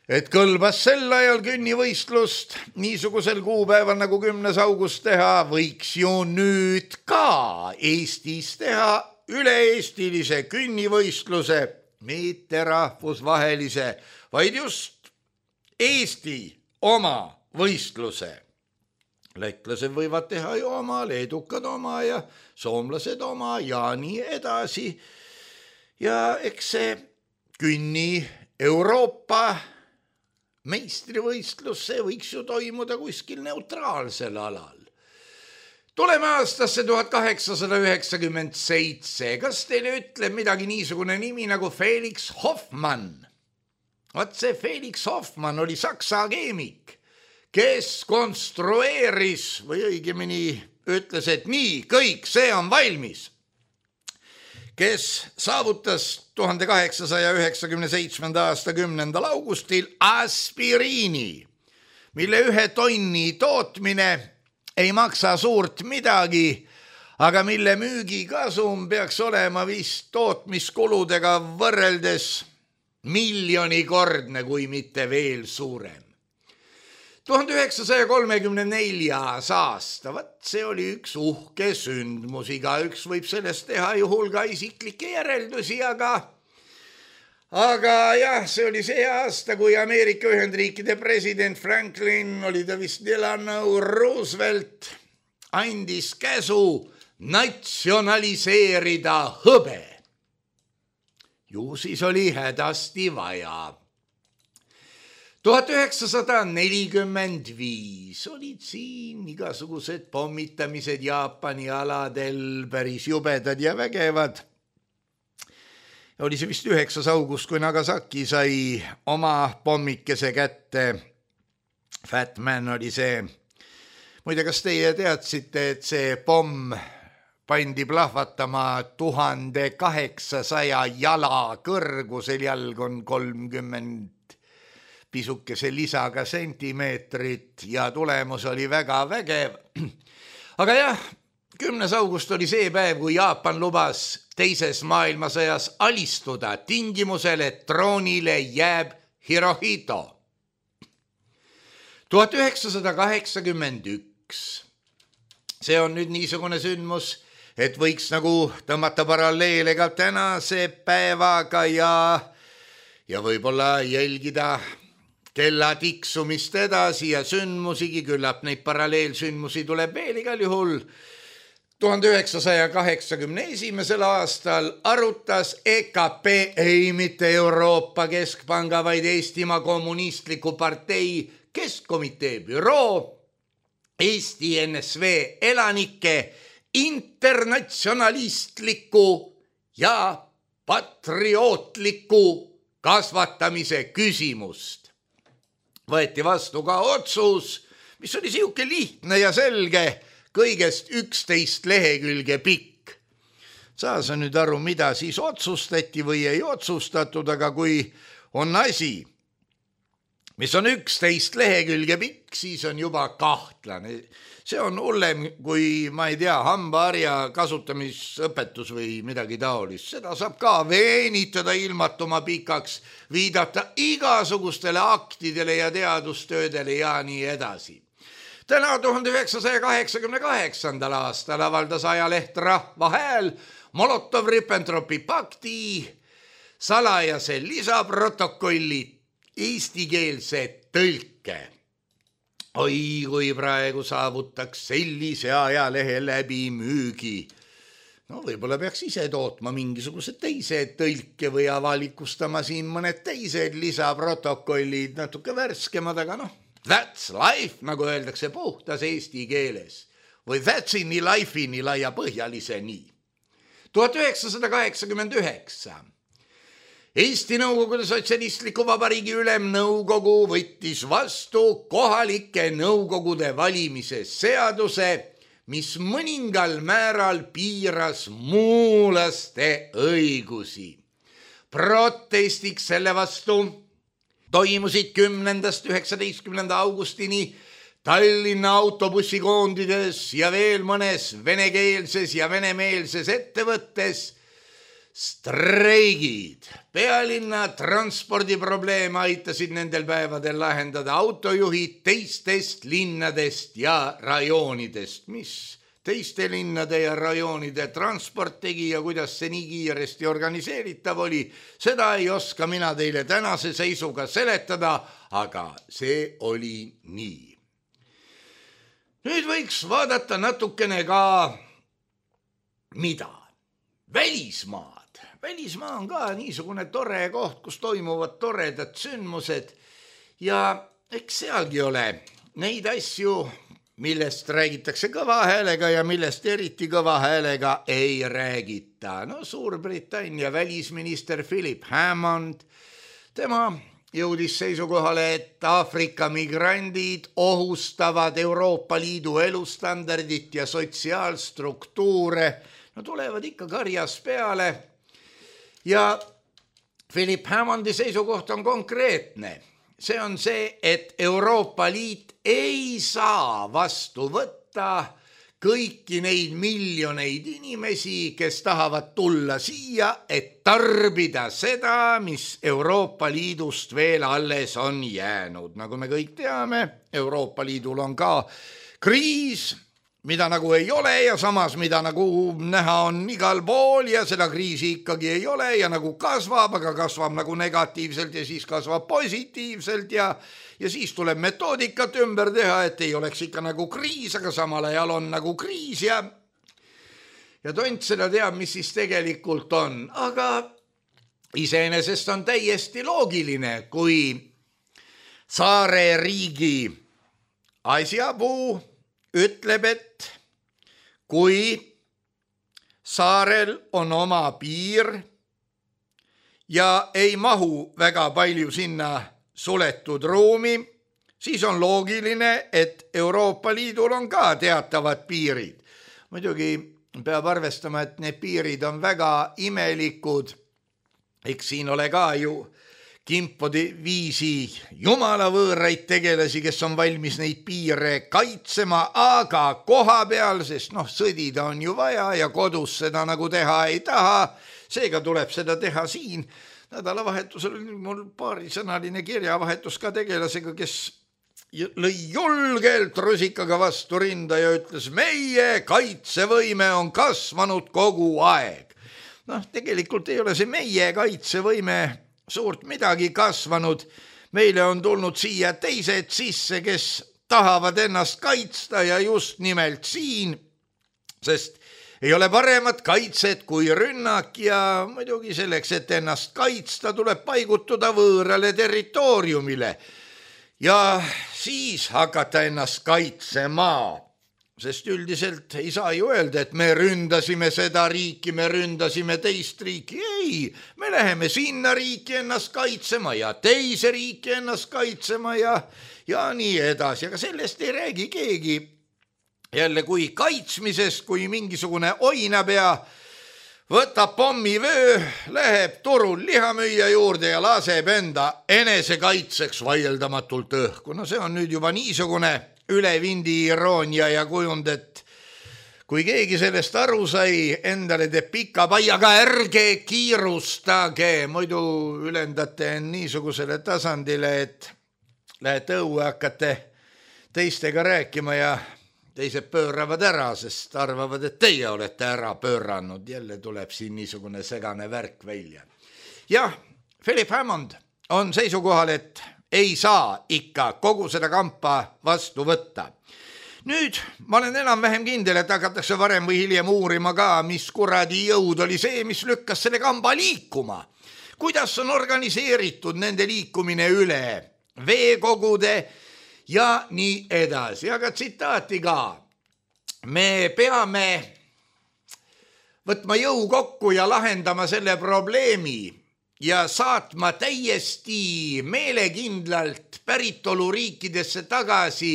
et kõlbas sel ajal künnivõistlust niisugusel kuupäeval nagu kümnes august teha, võiks ju nüüd ka Eestis teha üle-eestilise künnivõistluse, mitte rahvusvahelise, vaid just Eesti oma võistluse. Lätlased võivad teha ju oma, leedukad oma ja soomlased oma ja nii edasi. Ja eks see künni Euroopa meistrivõistlus, see võiks ju toimuda kuskil neutraalsel alal. Tuleme aastasse tuhat kaheksasada üheksakümmend seitse. Kas teile ütleb midagi niisugune nimi nagu Felix Hoffmann? Vaat see Felix Hoffmann oli saksa keemik, kes konstrueeris või õigemini ütles, et nii, kõik, see on valmis. Kes saavutas tuhande kaheksasaja üheksakümne seitsmenda aasta kümnendal augustil aspiriini, mille ühe tonni tootmine ei maksa suurt midagi, aga mille müügikasum peaks olema vist tootmiskuludega võrreldes miljonikordne, kui mitte veel suurem. tuhande üheksasaja kolmekümne neljas aasta, vat see oli üks uhke sündmus, igaüks võib sellest teha ju hulga isiklikke järeldusi, aga aga jah, see oli see aasta, kui Ameerika Ühendriikide president Franklin, oli ta vist Delano Roosevelt, andis käsu natsionaliseerida hõbe. Ju siis oli hädasti vaja. tuhat üheksasada nelikümmend viis olid siin igasugused pommitamised Jaapani aladel päris jubedad ja vägevad. Oli see vist üheksas august, kui Nagasaki sai oma pommikese kätte. Fat Man oli see. Muide, kas teie teadsite, et see pomm pandi plahvatama tuhande kaheksasaja jala kõrgusel, jalg on kolmkümmend pisukese lisaga sentimeetrit ja tulemus oli väga vägev. Aga jah, kümnes august oli see päev, kui Jaapan lubas teises maailmasõjas alistuda tingimusel, et troonile jääb Hirohito. tuhat üheksasada kaheksakümmend üks. See on nüüd niisugune sündmus, et võiks nagu tõmmata paralleele ka tänase päevaga ja, ja võib-olla jälgida kella tiksumist edasi ja sündmusigi, küllap neid paralleelsündmusi tuleb veel igal juhul. tuhande üheksasaja kaheksakümne esimesel aastal arutas E K P, ei mitte Euroopa Keskpanga, vaid Eestimaa Kommunistliku Partei Keskkomitee büroo Eesti N S V elanike internatsionalistliku ja patriootliku kasvatamise küsimust. Võeti vastu ka otsus, mis oli siuke lihtne ja selge, kõigest üksteist lehekülge pikk. Saa sa nüüd aru, mida siis otsustati või ei otsustatud, aga kui on asi, mis on üksteist lehekülge pikk, siis on juba kahtlane. See on hullem kui, ma ei tea, hambaharja kasutamisõpetus või midagi taolist. Seda saab ka veenitada ilmatuma pikaks, viidata igasugustele aktidele ja teadustöödele ja nii edasi. Täna tuhande üheksasaja kaheksakümne kaheksandal aastal avaldas ajaleht Rahva Hääl Molotov-Ribbentropi pakti salajase lisaprotokolli eestikeelse tõlke. Oi, kui praegu saavutaks sellise ajalehe läbi müügi. No võib-olla peaks ise tootma mingisugused teised tõlke või avalikustama siin mõned teised lisaprotokollid, natuke värskemad, aga noh, that's life, nagu öeldakse puhtas eesti keeles. Või that's in life in laia põhjalise nii. tuhat üheksasada kaheksakümmend üheksa. Eesti Nõukogude Sotsialistliku Vabariigi Ülemnõukogu võttis vastu kohalike nõukogude valimise seaduse, mis mõningal määral piiras muulaste õigusi. Protestiks selle vastu toimusid kümnendast üheksateistkümnenda augustini Tallinna autobussikoondides ja veel mõnes venekeelses ja venemeelses ettevõttes streigid. Pealinna transpordiprobleeme aitasid nendel päevadel lahendada autojuhid teistest linnadest ja rajoonidest. Mis teiste linnade ja rajoonide transport tegi ja kuidas see nii kiiresti organiseeritav oli, seda ei oska mina teile tänase seisuga seletada, aga see oli nii. Nüüd võiks vaadata natukene ka mida? Välismaad. Välismaa on ka niisugune tore koht, kus toimuvad toredad sündmused ja eks sealgi ole neid asju, millest räägitakse kõva häälega ja millest eriti kõva häälega ei räägita. No Suurbritannia välisminister Philip Hammond, tema jõudis seisukohale, et Aafrika migrandid ohustavad Euroopa Liidu elustandardit ja sotsiaalstruktuure. No tulevad ikka karjas peale ja Philip Hammondi seisukoht on konkreetne. See on see, et Euroopa Liit ei saa vastu võtta kõiki neid miljoneid inimesi, kes tahavad tulla siia, et tarbida seda, mis Euroopa Liidust veel alles on jäänud. Nagu me kõik teame, Euroopa Liidul on ka kriis, mida nagu ei ole ja samas, mida nagu näha on igal pool ja seda kriisi ikkagi ei ole ja nagu kasvab, aga kasvab nagu negatiivselt ja siis kasvab positiivselt ja ja siis tuleb metoodikat ümber teha, et ei oleks ikka nagu kriis, aga samal ajal on nagu kriis ja ja tont seda teab, mis siis tegelikult on. Aga iseenesest on täiesti loogiline, kui saare riigi asjapuu ütleb, et kui saarel on oma piir ja ei mahu väga palju sinna suletud ruumi, siis on loogiline, et Euroopa Liidul on ka teatavad piirid. Muidugi peab arvestama, et need piirid on väga imelikud. Eks siin ole ka ju kimpodi viisi jumalavõõraid tegelasi, kes on valmis neid piire kaitsema, aga koha peal, sest noh, sõdida on ju vaja ja kodus seda nagu teha ei taha, seega tuleb seda teha siin. Nädalavahetusel oli mul paarisõnaline kirjavahetus ka tegelasega, kes lõi julgelt rusikaga vastu rinda ja ütles, meie kaitsevõime on kasvanud kogu aeg. Noh, tegelikult ei ole see meie kaitsevõime suurt midagi kasvanud. Meile on tulnud siia teised sisse, kes tahavad ennast kaitsta ja just nimelt siin, sest ei ole paremat kaitset kui rünnak ja muidugi selleks, et ennast kaitsta, tuleb paigutuda võõrale territooriumile ja siis hakata ennast kaitsema. Sest üldiselt ei saa ju öelda, et me ründasime seda riiki, me ründasime teist riiki. Ei, me läheme sinna riiki ennast kaitsema ja teise riiki ennast kaitsema ja, ja nii edasi. Aga sellest ei räägi keegi. Jälle kui kaitsmisest, kui mingisugune oinapea võtab pommivöö, läheb turul lihamüüja juurde ja laseb enda enesekaitseks vaieldamatult õhku. No see on nüüd juba niisugune ülevindi iroonia ja kujund, et kui keegi sellest aru sai, endale teeb pika pai, aga ärge kiirustage, muidu ülendate niisugusele tasandile, et lähete õue, hakkate teistega rääkima ja teised pööravad ära, sest arvavad, et teie olete ära pööranud. Jälle tuleb siin niisugune segane värk välja. Jah, Philip Hammond on seisukohal, et ei saa ikka kogu seda kampa vastu võtta. Nüüd ma olen enam-vähem kindel, et hakatakse varem või hiljem uurima ka, mis kuradi jõud oli see, mis lükkas selle kamba liikuma. Kuidas on organiseeritud nende liikumine üle veekogude ja nii edasi. Aga tsitaati ka. Me peame võtma jõu kokku ja lahendama selle probleemi ja saatma täiesti meelekindlalt päritoluriikidesse tagasi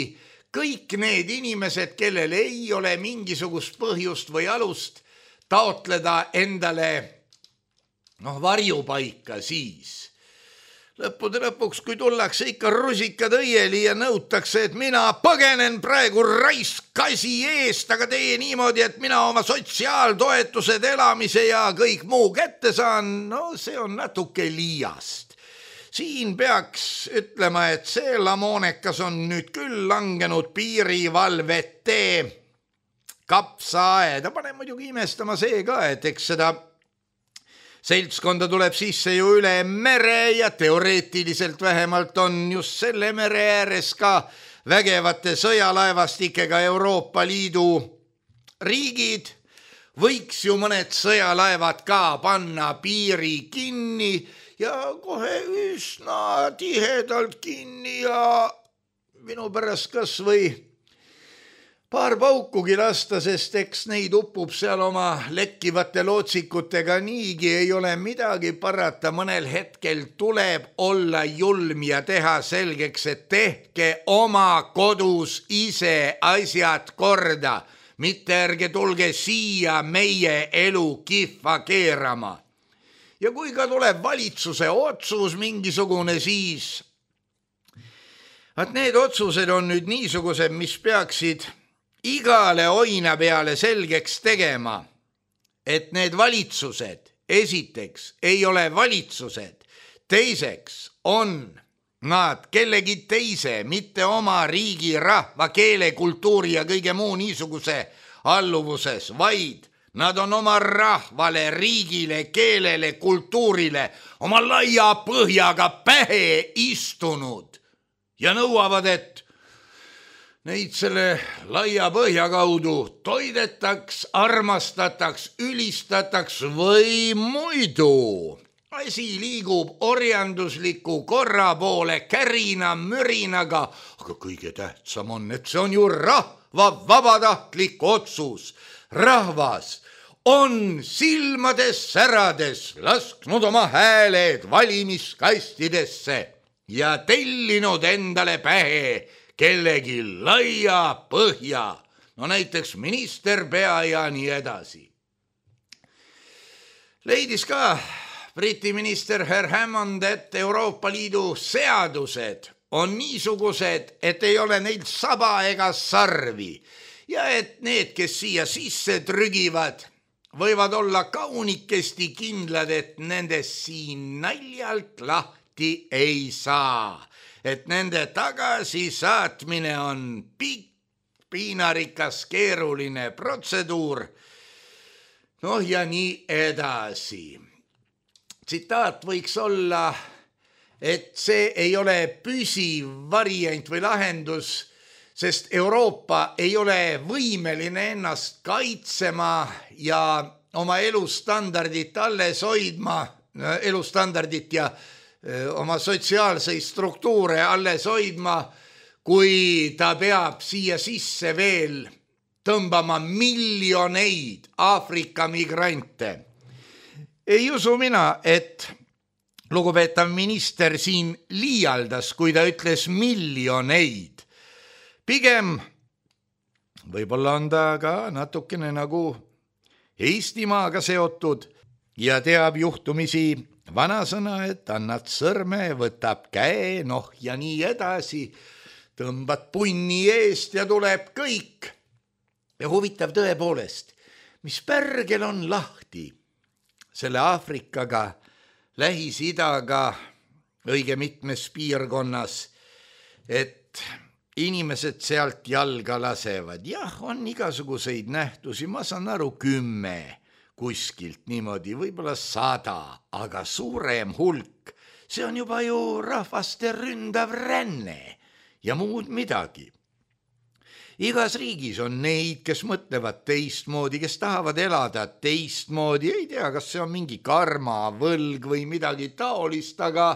kõik need inimesed, kellel ei ole mingisugust põhjust või alust taotleda endale noh, varjupaika siis. Lõppude lõpuks, kui tullakse ikka rusikad õieli ja nõutakse, et mina põgenen praegu raiskasi eest, aga tee niimoodi, et mina oma sotsiaaltoetused, elamise ja kõik muu kätte saan, no see on natuke liiast. Siin peaks ütlema, et see lamoonekas on nüüd küll langenud piirivalvete kapsaaeda. Pane muidugi imestama see ka, et eks seda seltskonda tuleb sisse ju üle mere ja teoreetiliselt vähemalt on just selle mere ääres ka vägevate sõjalaevastikega Euroopa Liidu riigid. Võiks ju mõned sõjalaevad ka panna piiri kinni ja kohe üsna tihedalt kinni ja minu pärast kas või paar paukugi lasta, sest eks neid uppub seal oma lekkivate lootsikutega niigi, ei ole midagi parata, mõnel hetkel tuleb olla julm ja teha selgeks, et tehke oma kodus ise asjad korda, mitte ärge tulge siia meie elu kihva keerama. Ja kui ka tuleb valitsuse otsus mingisugune, siis et need otsused on nüüd niisugused, mis peaksid igale oina peale selgeks tegema, et need valitsused esiteks ei ole valitsused, teiseks on nad kellegi teise, mitte oma riigi, rahva, keele, kultuuri ja kõige muu niisuguse alluvuses, vaid nad on oma rahvale, riigile, keelele, kultuurile oma laia põhjaga pähe istunud ja nõuavad, et neid selle laia põhja kaudu toidetaks, armastataks, ülistataks või muidu. Asi liigub orjandusliku korra poole kärina, mürinaga, aga kõige tähtsam on, et see on ju rahva vabatahtlik otsus. Rahvas on silmades särades lasknud oma hääled valimiskastidesse ja tellinud endale pähe kellegi laia põhja, no näiteks minister, pea ja nii edasi. Leidis ka Briti minister Herr Hammond, et Euroopa Liidu seadused on niisugused, et ei ole neil saba ega sarvi ja et need, kes siia sisse trügivad, võivad olla kaunikesti kindlad, et nendest siin naljalt lahti ei saa, et nende tagasisaatmine on pikk, piinarikas, keeruline protseduur, noh ja nii edasi. Tsitaat võiks olla, et see ei ole püsiv variant või lahendus, sest Euroopa ei ole võimeline ennast kaitsema ja oma elustandardit alles hoidma, elustandardit ja oma sotsiaalseid struktuure alles hoidma, kui ta peab siia sisse veel tõmbama miljoneid Aafrika migrante. Ei usu mina, et lugupeetav minister siin liialdas, kui ta ütles miljoneid. Pigem võib-olla on ta ka natukene nagu Eestimaaga seotud ja teab juhtumisi vanasõna, et annad sõrme, võtab käe, noh ja nii edasi, tõmbad punni eest ja tuleb kõik. Ja huvitav tõepoolest, mis pärgel on lahti selle Aafrikaga, Lähis-Idaga, õige mitmes piirkonnas, et inimesed sealt jalga lasevad. Jah, on igasuguseid nähtusi, ma saan aru kümme kuskilt niimoodi, võib-olla sada, aga suurem hulk, see on juba ju rahvaste ründav ränne ja muud midagi. Igas riigis on neid, kes mõtlevad teistmoodi, kes tahavad elada teistmoodi, ei tea, kas see on mingi karma, võlg või midagi taolist, aga,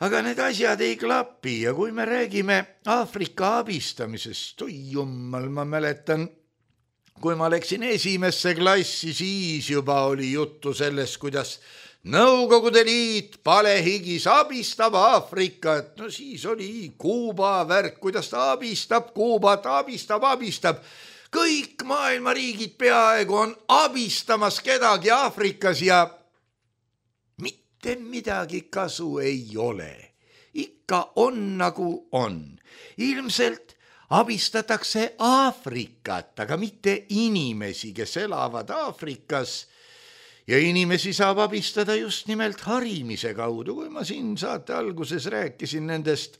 aga need asjad ei klapi ja kui me räägime Aafrika abistamisest, oi jummal, ma mäletan, kui ma läksin esimesse klassi, siis juba oli juttu sellest, kuidas Nõukogude Liit palehigis abistab Aafrikat, no siis oli Kuuba värk, kuidas ta abistab Kuubat, abistab, abistab. Kõik maailma riigid peaaegu on abistamas kedagi Aafrikas ja mitte midagi kasu ei ole. Ikka on nagu on. Ilmselt abistatakse Aafrikat, aga mitte inimesi, kes elavad Aafrikas. Ja inimesi saab abistada just nimelt harimise kaudu, kui ma siin saate alguses rääkisin nendest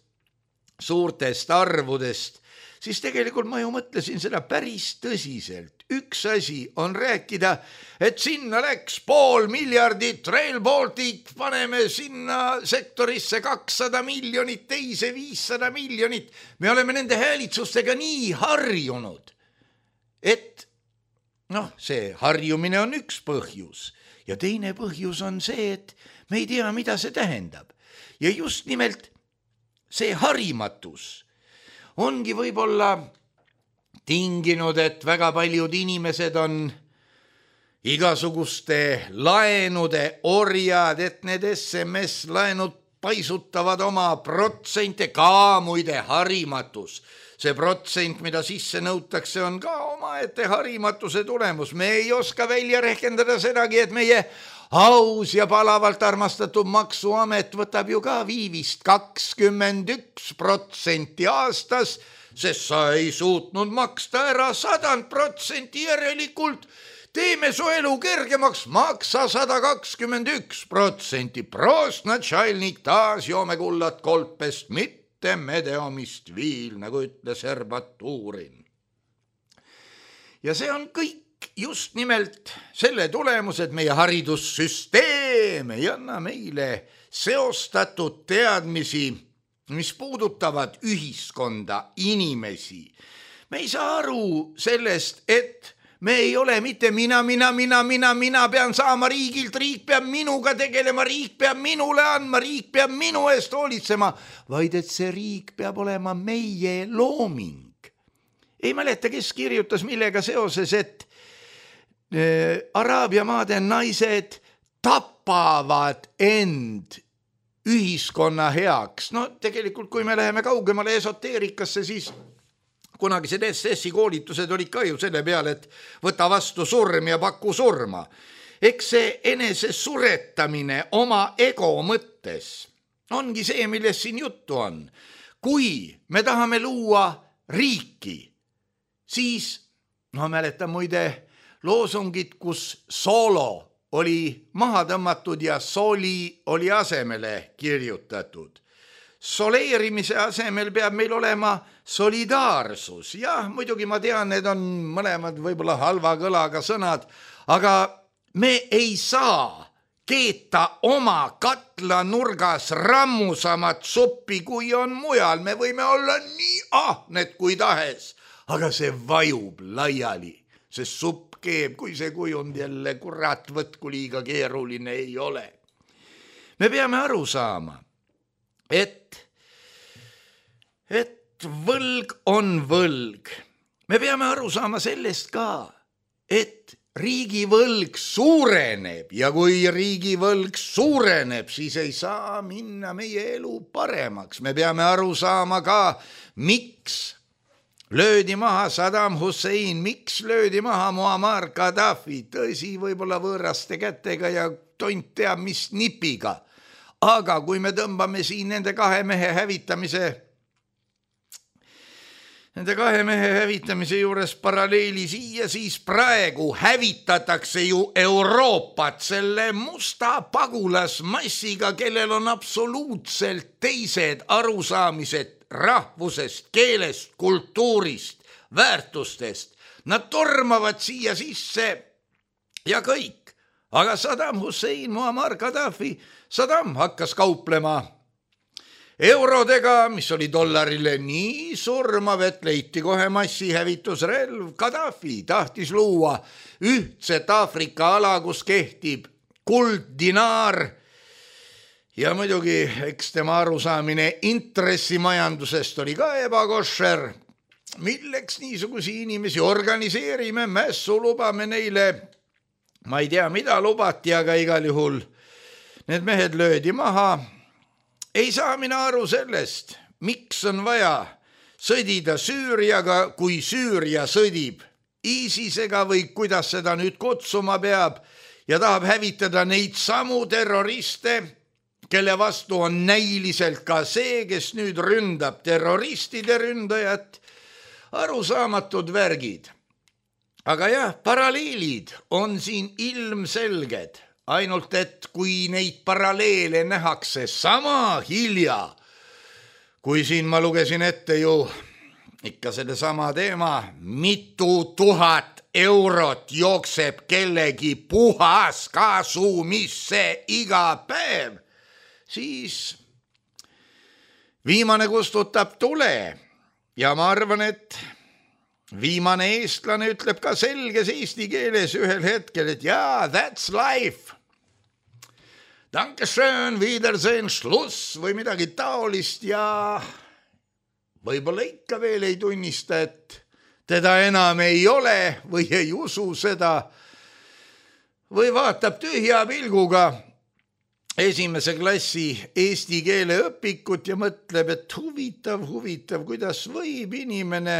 suurtest arvudest, siis tegelikult ma ju mõtlesin seda päris tõsiselt. Üks asi on rääkida, et sinna läks pool miljardit, Rail Baltic, paneme sinna sektorisse kakssada miljonit, teise viissada miljonit. Me oleme nende häälitsustega nii harjunud, et noh, see harjumine on üks põhjus ja teine põhjus on see, et me ei tea, mida see tähendab. Ja just nimelt see harimatus ongi võib-olla tinginud, et väga paljud inimesed on igasuguste laenude orjad, et need S M S-laenud paisutavad oma protsente, ka muide harimatus. See protsent, mida sisse nõutakse, on ka omaette harimatuse tulemus. Me ei oska välja rehkendada sedagi, et meie aus ja palavalt armastatud maksuamet võtab ju ka viivist kakskümmend üks protsenti aastas sest sa ei suutnud maksta ära sadand protsenti järelikult. Teeme su elu kergemaks, maksa sada kakskümmend üks protsenti. Prost, natšalnik, taas joome kullat kolpest, mitte medeomist viil, nagu ütles Herbatuurin. Ja see on kõik just nimelt selle tulemus, et meie haridussüsteem ei anna meile seostatud teadmisi, mis puudutavad ühiskonda, inimesi. Me ei saa aru sellest, et me ei ole mitte mina, mina, mina, mina, mina pean saama riigilt, riik peab minuga tegelema, riik peab minule andma, riik peab minu eest hoolitsema, vaid et see riik peab olema meie looming. Ei mäleta, kes kirjutas millega seoses, et äh, Araabia maade naised tapavad end ühiskonna heaks. No tegelikult, kui me läheme kaugemale esoteerikasse, siis kunagised S S-i koolitused olid ka ju selle peale, et võta vastu surm ja paku surma. Eks see enese suretamine oma ego mõttes ongi see, millest siin juttu on. Kui me tahame luua riiki, siis, no mäletan muide loosungit, kus soolo oli maha tõmmatud ja soli oli asemele kirjutatud. Soleerimise asemel peab meil olema solidaarsus. Jah, muidugi ma tean, need on mõlemad võib-olla halva kõlaga sõnad, aga me ei saa keeta oma katlanurgas rammusamat suppi, kui on mujal. Me võime olla nii ahned kui tahes, aga see vajub laiali, see supp keeb, kui see kujund jälle kurat võtku liiga keeruline ei ole. Me peame aru saama, et, et võlg on võlg. Me peame aru saama sellest ka, et riigivõlg suureneb ja kui riigivõlg suureneb, siis ei saa minna meie elu paremaks. Me peame aru saama ka, miks löödi maha Saddam Hussein, miks löödi maha Muammar Gaddafi, tõsi, võib-olla võõraste kätega ja tont teab mis nipiga. Aga kui me tõmbame siin nende kahe mehe hävitamise, nende kahe mehe hävitamise juures paralleeli siia, siis praegu hävitatakse ju Euroopat selle musta pagulasmassiga, kellel on absoluutselt teised arusaamised rahvusest, keelest, kultuurist, väärtustest. Nad tormavad siia sisse ja kõik. Aga Saddam Hussein, Muammar Gaddafi, Saddam hakkas kauplema eurodega, mis oli dollarile nii surmav, et leiti kohe massihävitusrelv. Gaddafi tahtis luua ühtset Aafrika ala, kus kehtib kulddinaar. Ja muidugi, eks tema arusaamine intressimajandusest oli ka ebakošer. Milleks niisugusi inimesi organiseerime, mässu lubame neile, ma ei tea, mida lubati, aga igal juhul need mehed löödi maha. Ei saa mina aru sellest, miks on vaja sõdida Süüriaga, kui Süüria sõdib ISISega või kuidas seda nüüd kutsuma peab ja tahab hävitada neid samu terroriste, kelle vastu on näiliselt ka see, kes nüüd ründab terroristide ründajat, arusaamatud värgid. Aga jah, paralleelid on siin ilmselged, ainult et kui neid paralleele nähakse sama hilja, kui siin ma lugesin ette ju ikka selle sama teema, mitu tuhat eurot jookseb kellegi puhas kasumisse iga päev, siis viimane kustutab tule ja ma arvan, et viimane eestlane ütleb ka selges eesti keeles ühel hetkel, et jaa, that's life. Dankeschön, Wiedersehen, Schluss või midagi taolist ja võib-olla ikka veel ei tunnista, et teda enam ei ole või ei usu seda või vaatab tühja pilguga esimese klassi eesti keele õpikut ja mõtleb, et huvitav, huvitav, kuidas võib inimene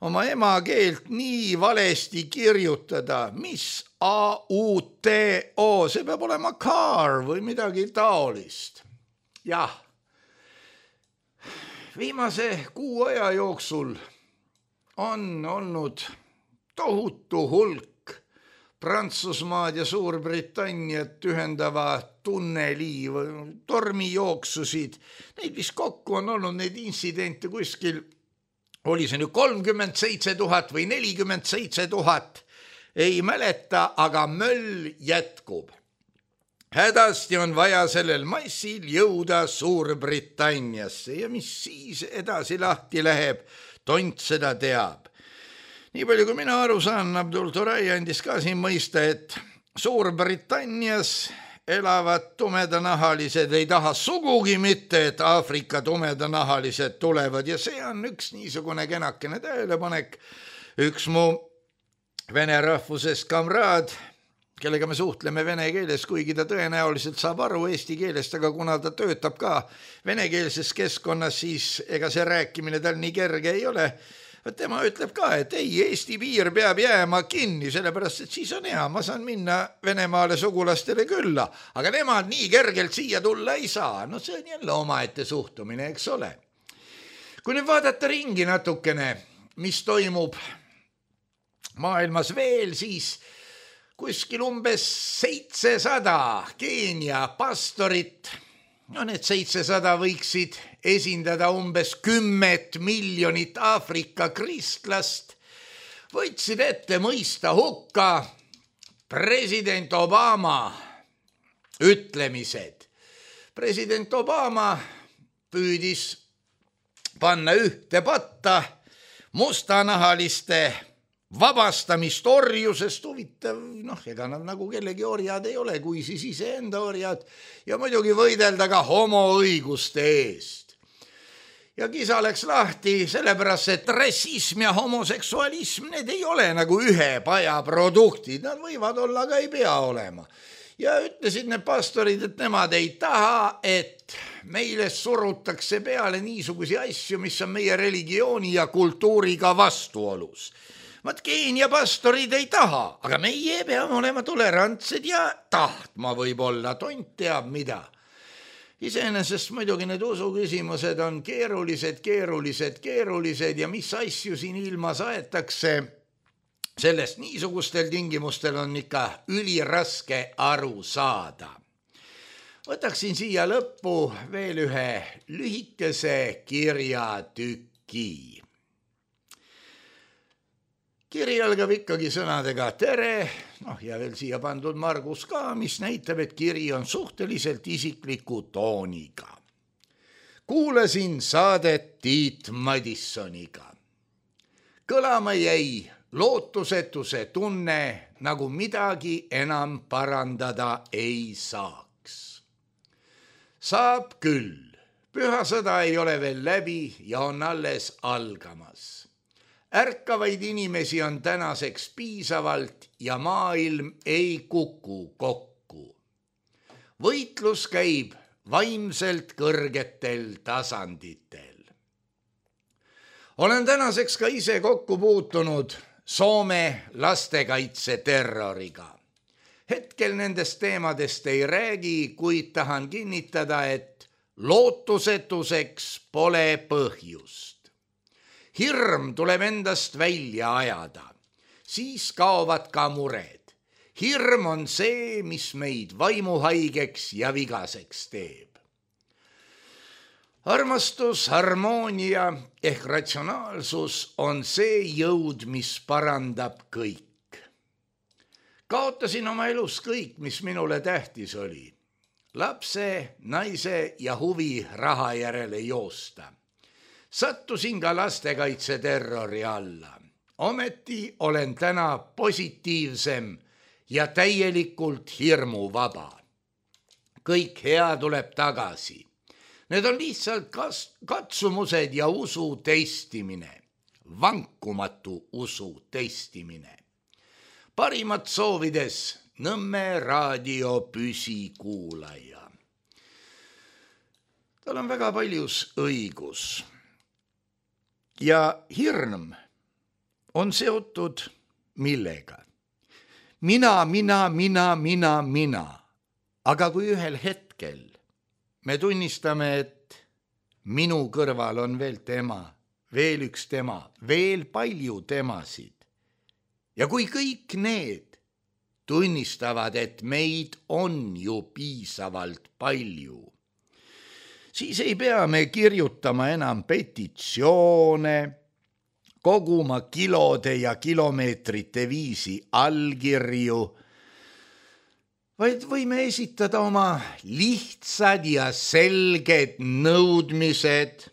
oma emakeelt nii valesti kirjutada, mis A U T O, see peab olema car või midagi taolist. Jah, viimase kuu aja jooksul on olnud tohutu hulk Prantsusmaad ja Suurbritanniat ühendava tunneli tormijooksusid. Neid vist kokku on olnud neid intsidente kuskil, oli see nüüd kolmkümmend seitse tuhat või nelikümmend seitse tuhat, ei mäleta, aga möll jätkub. Hädasti on vaja sellel massil jõuda Suurbritanniasse ja mis siis edasi lahti läheb, tont seda teab. Nii palju kui mina aru saan, Abdul Turay andis ka siin mõista, et Suurbritannias elavad tumedanahalised ei taha sugugi mitte, et Aafrika tumedanahalised tulevad ja see on üks niisugune kenakene tähelepanek. Üks mu vene rahvusest kamraad, kellega me suhtleme vene keeles, kuigi ta tõenäoliselt saab aru eesti keelest, aga kuna ta töötab ka venekeelses keskkonnas, siis ega see rääkimine tal nii kerge ei ole. Tema ütleb ka, et ei, Eesti piir peab jääma kinni, sellepärast, et siis on hea, ma saan minna Venemaale sugulastele külla, aga nemad nii kergelt siia tulla ei saa. No see on jälle omaette suhtumine, eks ole. Kui nüüd vaadata ringi natukene, mis toimub maailmas veel, siis kuskil umbes seitsesada Keenia pastorit, no need seitsesada võiksid esindada umbes kümmet miljonit Aafrika kristlast, võtsid ette mõista hukka president Obama ütlemised. President Obama püüdis panna ühte patta mustanahaliste vabastamist orjusest, huvitav, noh, ega nad nagu kellegi orjad ei ole, kui siis iseenda orjad, ja muidugi võidelda ka homoõiguste eest. Ja kisa läks lahti sellepärast, et rassism ja homoseksualism, need ei ole nagu ühe paja produktid, nad võivad olla, aga ei pea olema. Ja ütlesid need pastorid, et nemad ei taha, et meile surutakse peale niisugusi asju, mis on meie religiooni ja kultuuriga vastuolus. Vat Keenia pastorid ei taha, aga meie peame olema tolerantsed ja tahtma võib-olla, tont teab mida. Iseenesest muidugi need usuküsimused on keerulised, keerulised, keerulised ja mis asju siin ilmas aetakse, sellest niisugustel tingimustel on ikka üliraske aru saada. Võtaksin siia lõppu veel ühe lühikese kirjatüki. Kiri algab ikkagi sõnadega tere, noh ja veel siia pandud Margus ka, mis näitab, et kiri on suhteliselt isikliku tooniga. Kuulasin saadet Tiit Madissoniga. Kõlama jäi lootusetuse tunne, nagu midagi enam parandada ei saaks. Saab küll, pühasõda ei ole veel läbi ja on alles algamas. Ärkavaid inimesi on tänaseks piisavalt ja maailm ei kuku kokku. Võitlus käib vaimselt kõrgetel tasanditel. Olen tänaseks ka ise kokku puutunud Soome lastekaitse terroriga. Hetkel nendest teemadest ei räägi, kuid tahan kinnitada, et lootusetuseks pole põhjust. Hirm tuleb endast välja ajada, siis kaovad ka mured. Hirm on see, mis meid vaimuhaigeks ja vigaseks teeb. Armastus, harmoonia ehk ratsionaalsus on see jõud, mis parandab kõik. Kaotasin oma elus kõik, mis minule tähtis oli. Lapse, naise ja huvi raha järele joosta. Sattusin ka lastekaitse terrori alla. Ometi olen täna positiivsem ja täielikult hirmuvaba. Kõik hea tuleb tagasi. Need on lihtsalt katsumused ja usu testimine. Vankumatu usu testimine. Parimat soovides Nõmme raadio püsikuulaja. Tal on väga paljus õigus. Ja hirm on seotud millega? Mina, mina, mina, mina, mina. Aga kui ühel hetkel me tunnistame, et minu kõrval on veel tema, veel üks tema, veel palju temasid. Ja kui kõik need tunnistavad, et meid on ju piisavalt palju, siis ei pea me kirjutama enam petitsioone, koguma kilode ja kilomeetrite viisi allkirju, vaid võime esitada oma lihtsad ja selged nõudmised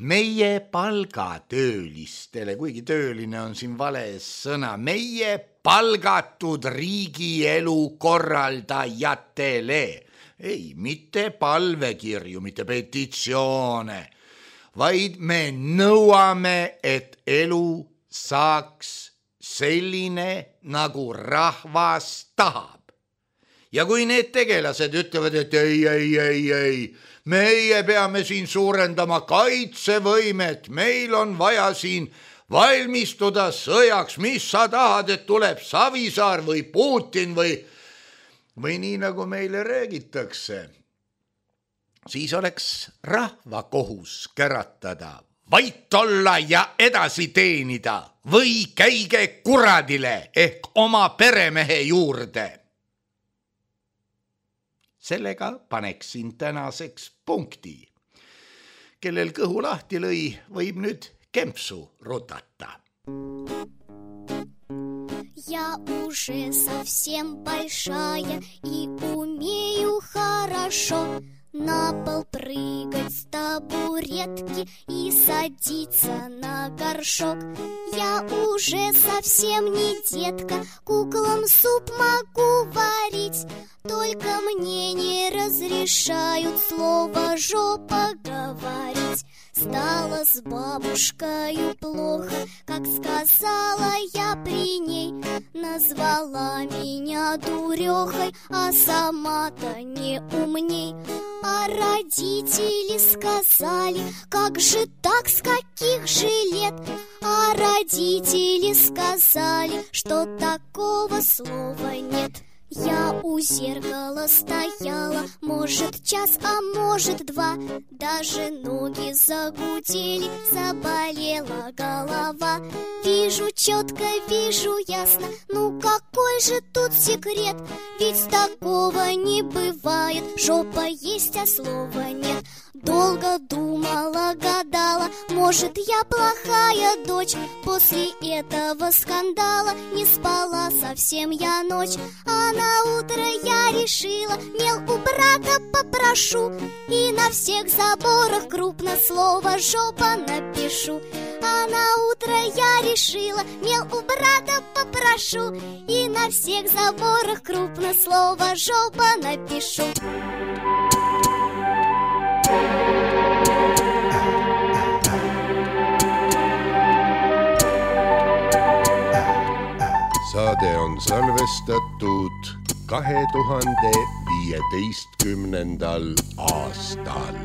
meie palgatöölistele, kuigi tööline on siin vale sõna, meie palgatud riigielu korraldajatele. Ei, mitte palvekirju, mitte petitsioone, vaid me nõuame, et elu saaks selline, nagu rahvas tahab. Ja kui need tegelased ütlevad, et ei, ei, ei, ei, meie peame siin suurendama kaitsevõimet, meil on vaja siin valmistuda sõjaks, mis sa tahad, et tuleb Savisaar või Putin või, või nii nagu meile räägitakse, siis oleks rahva kohus käratada, vait olla ja edasi teenida või käige kuradile ehk oma peremehe juurde. Sellega paneksin tänaseks punkti. Kellel kõhu lahti lõi, võib nüüd kempsu rutata. Я уже совсем большая и умею хорошо на пол прыгать с табуретки и садиться на горшок. Я уже совсем не детка, куклам суп могу варить, только мне не разрешают слово «жопа» говорить. Стало с бабушкою плохо, как сказала я при ней. Назвала меня дурехой, а сама-то не умней. А родители сказали, как же так, с каких же лет? А родители сказали, что такого слова нет. Я у зеркала стояла, может час, а может два. Даже ноги загудели, заболела голова. Вижу четко, вижу ясно, ну какой же тут секрет? Ведь такого не бывает, жопа есть, а слова нет. Долго думала, гадала, может я плохая дочь. После этого скандала не спала совсем я ночь. А на утро я решила, мел у брата попрошу, и на всех заборах крупно слово «жопа» напишу. А на утро я решила, мел у брата попрошу, и на всех заборах крупно слово «жопа» напишу. Saade on salvestatud kahe tuhande viieteistkümnendal aastal.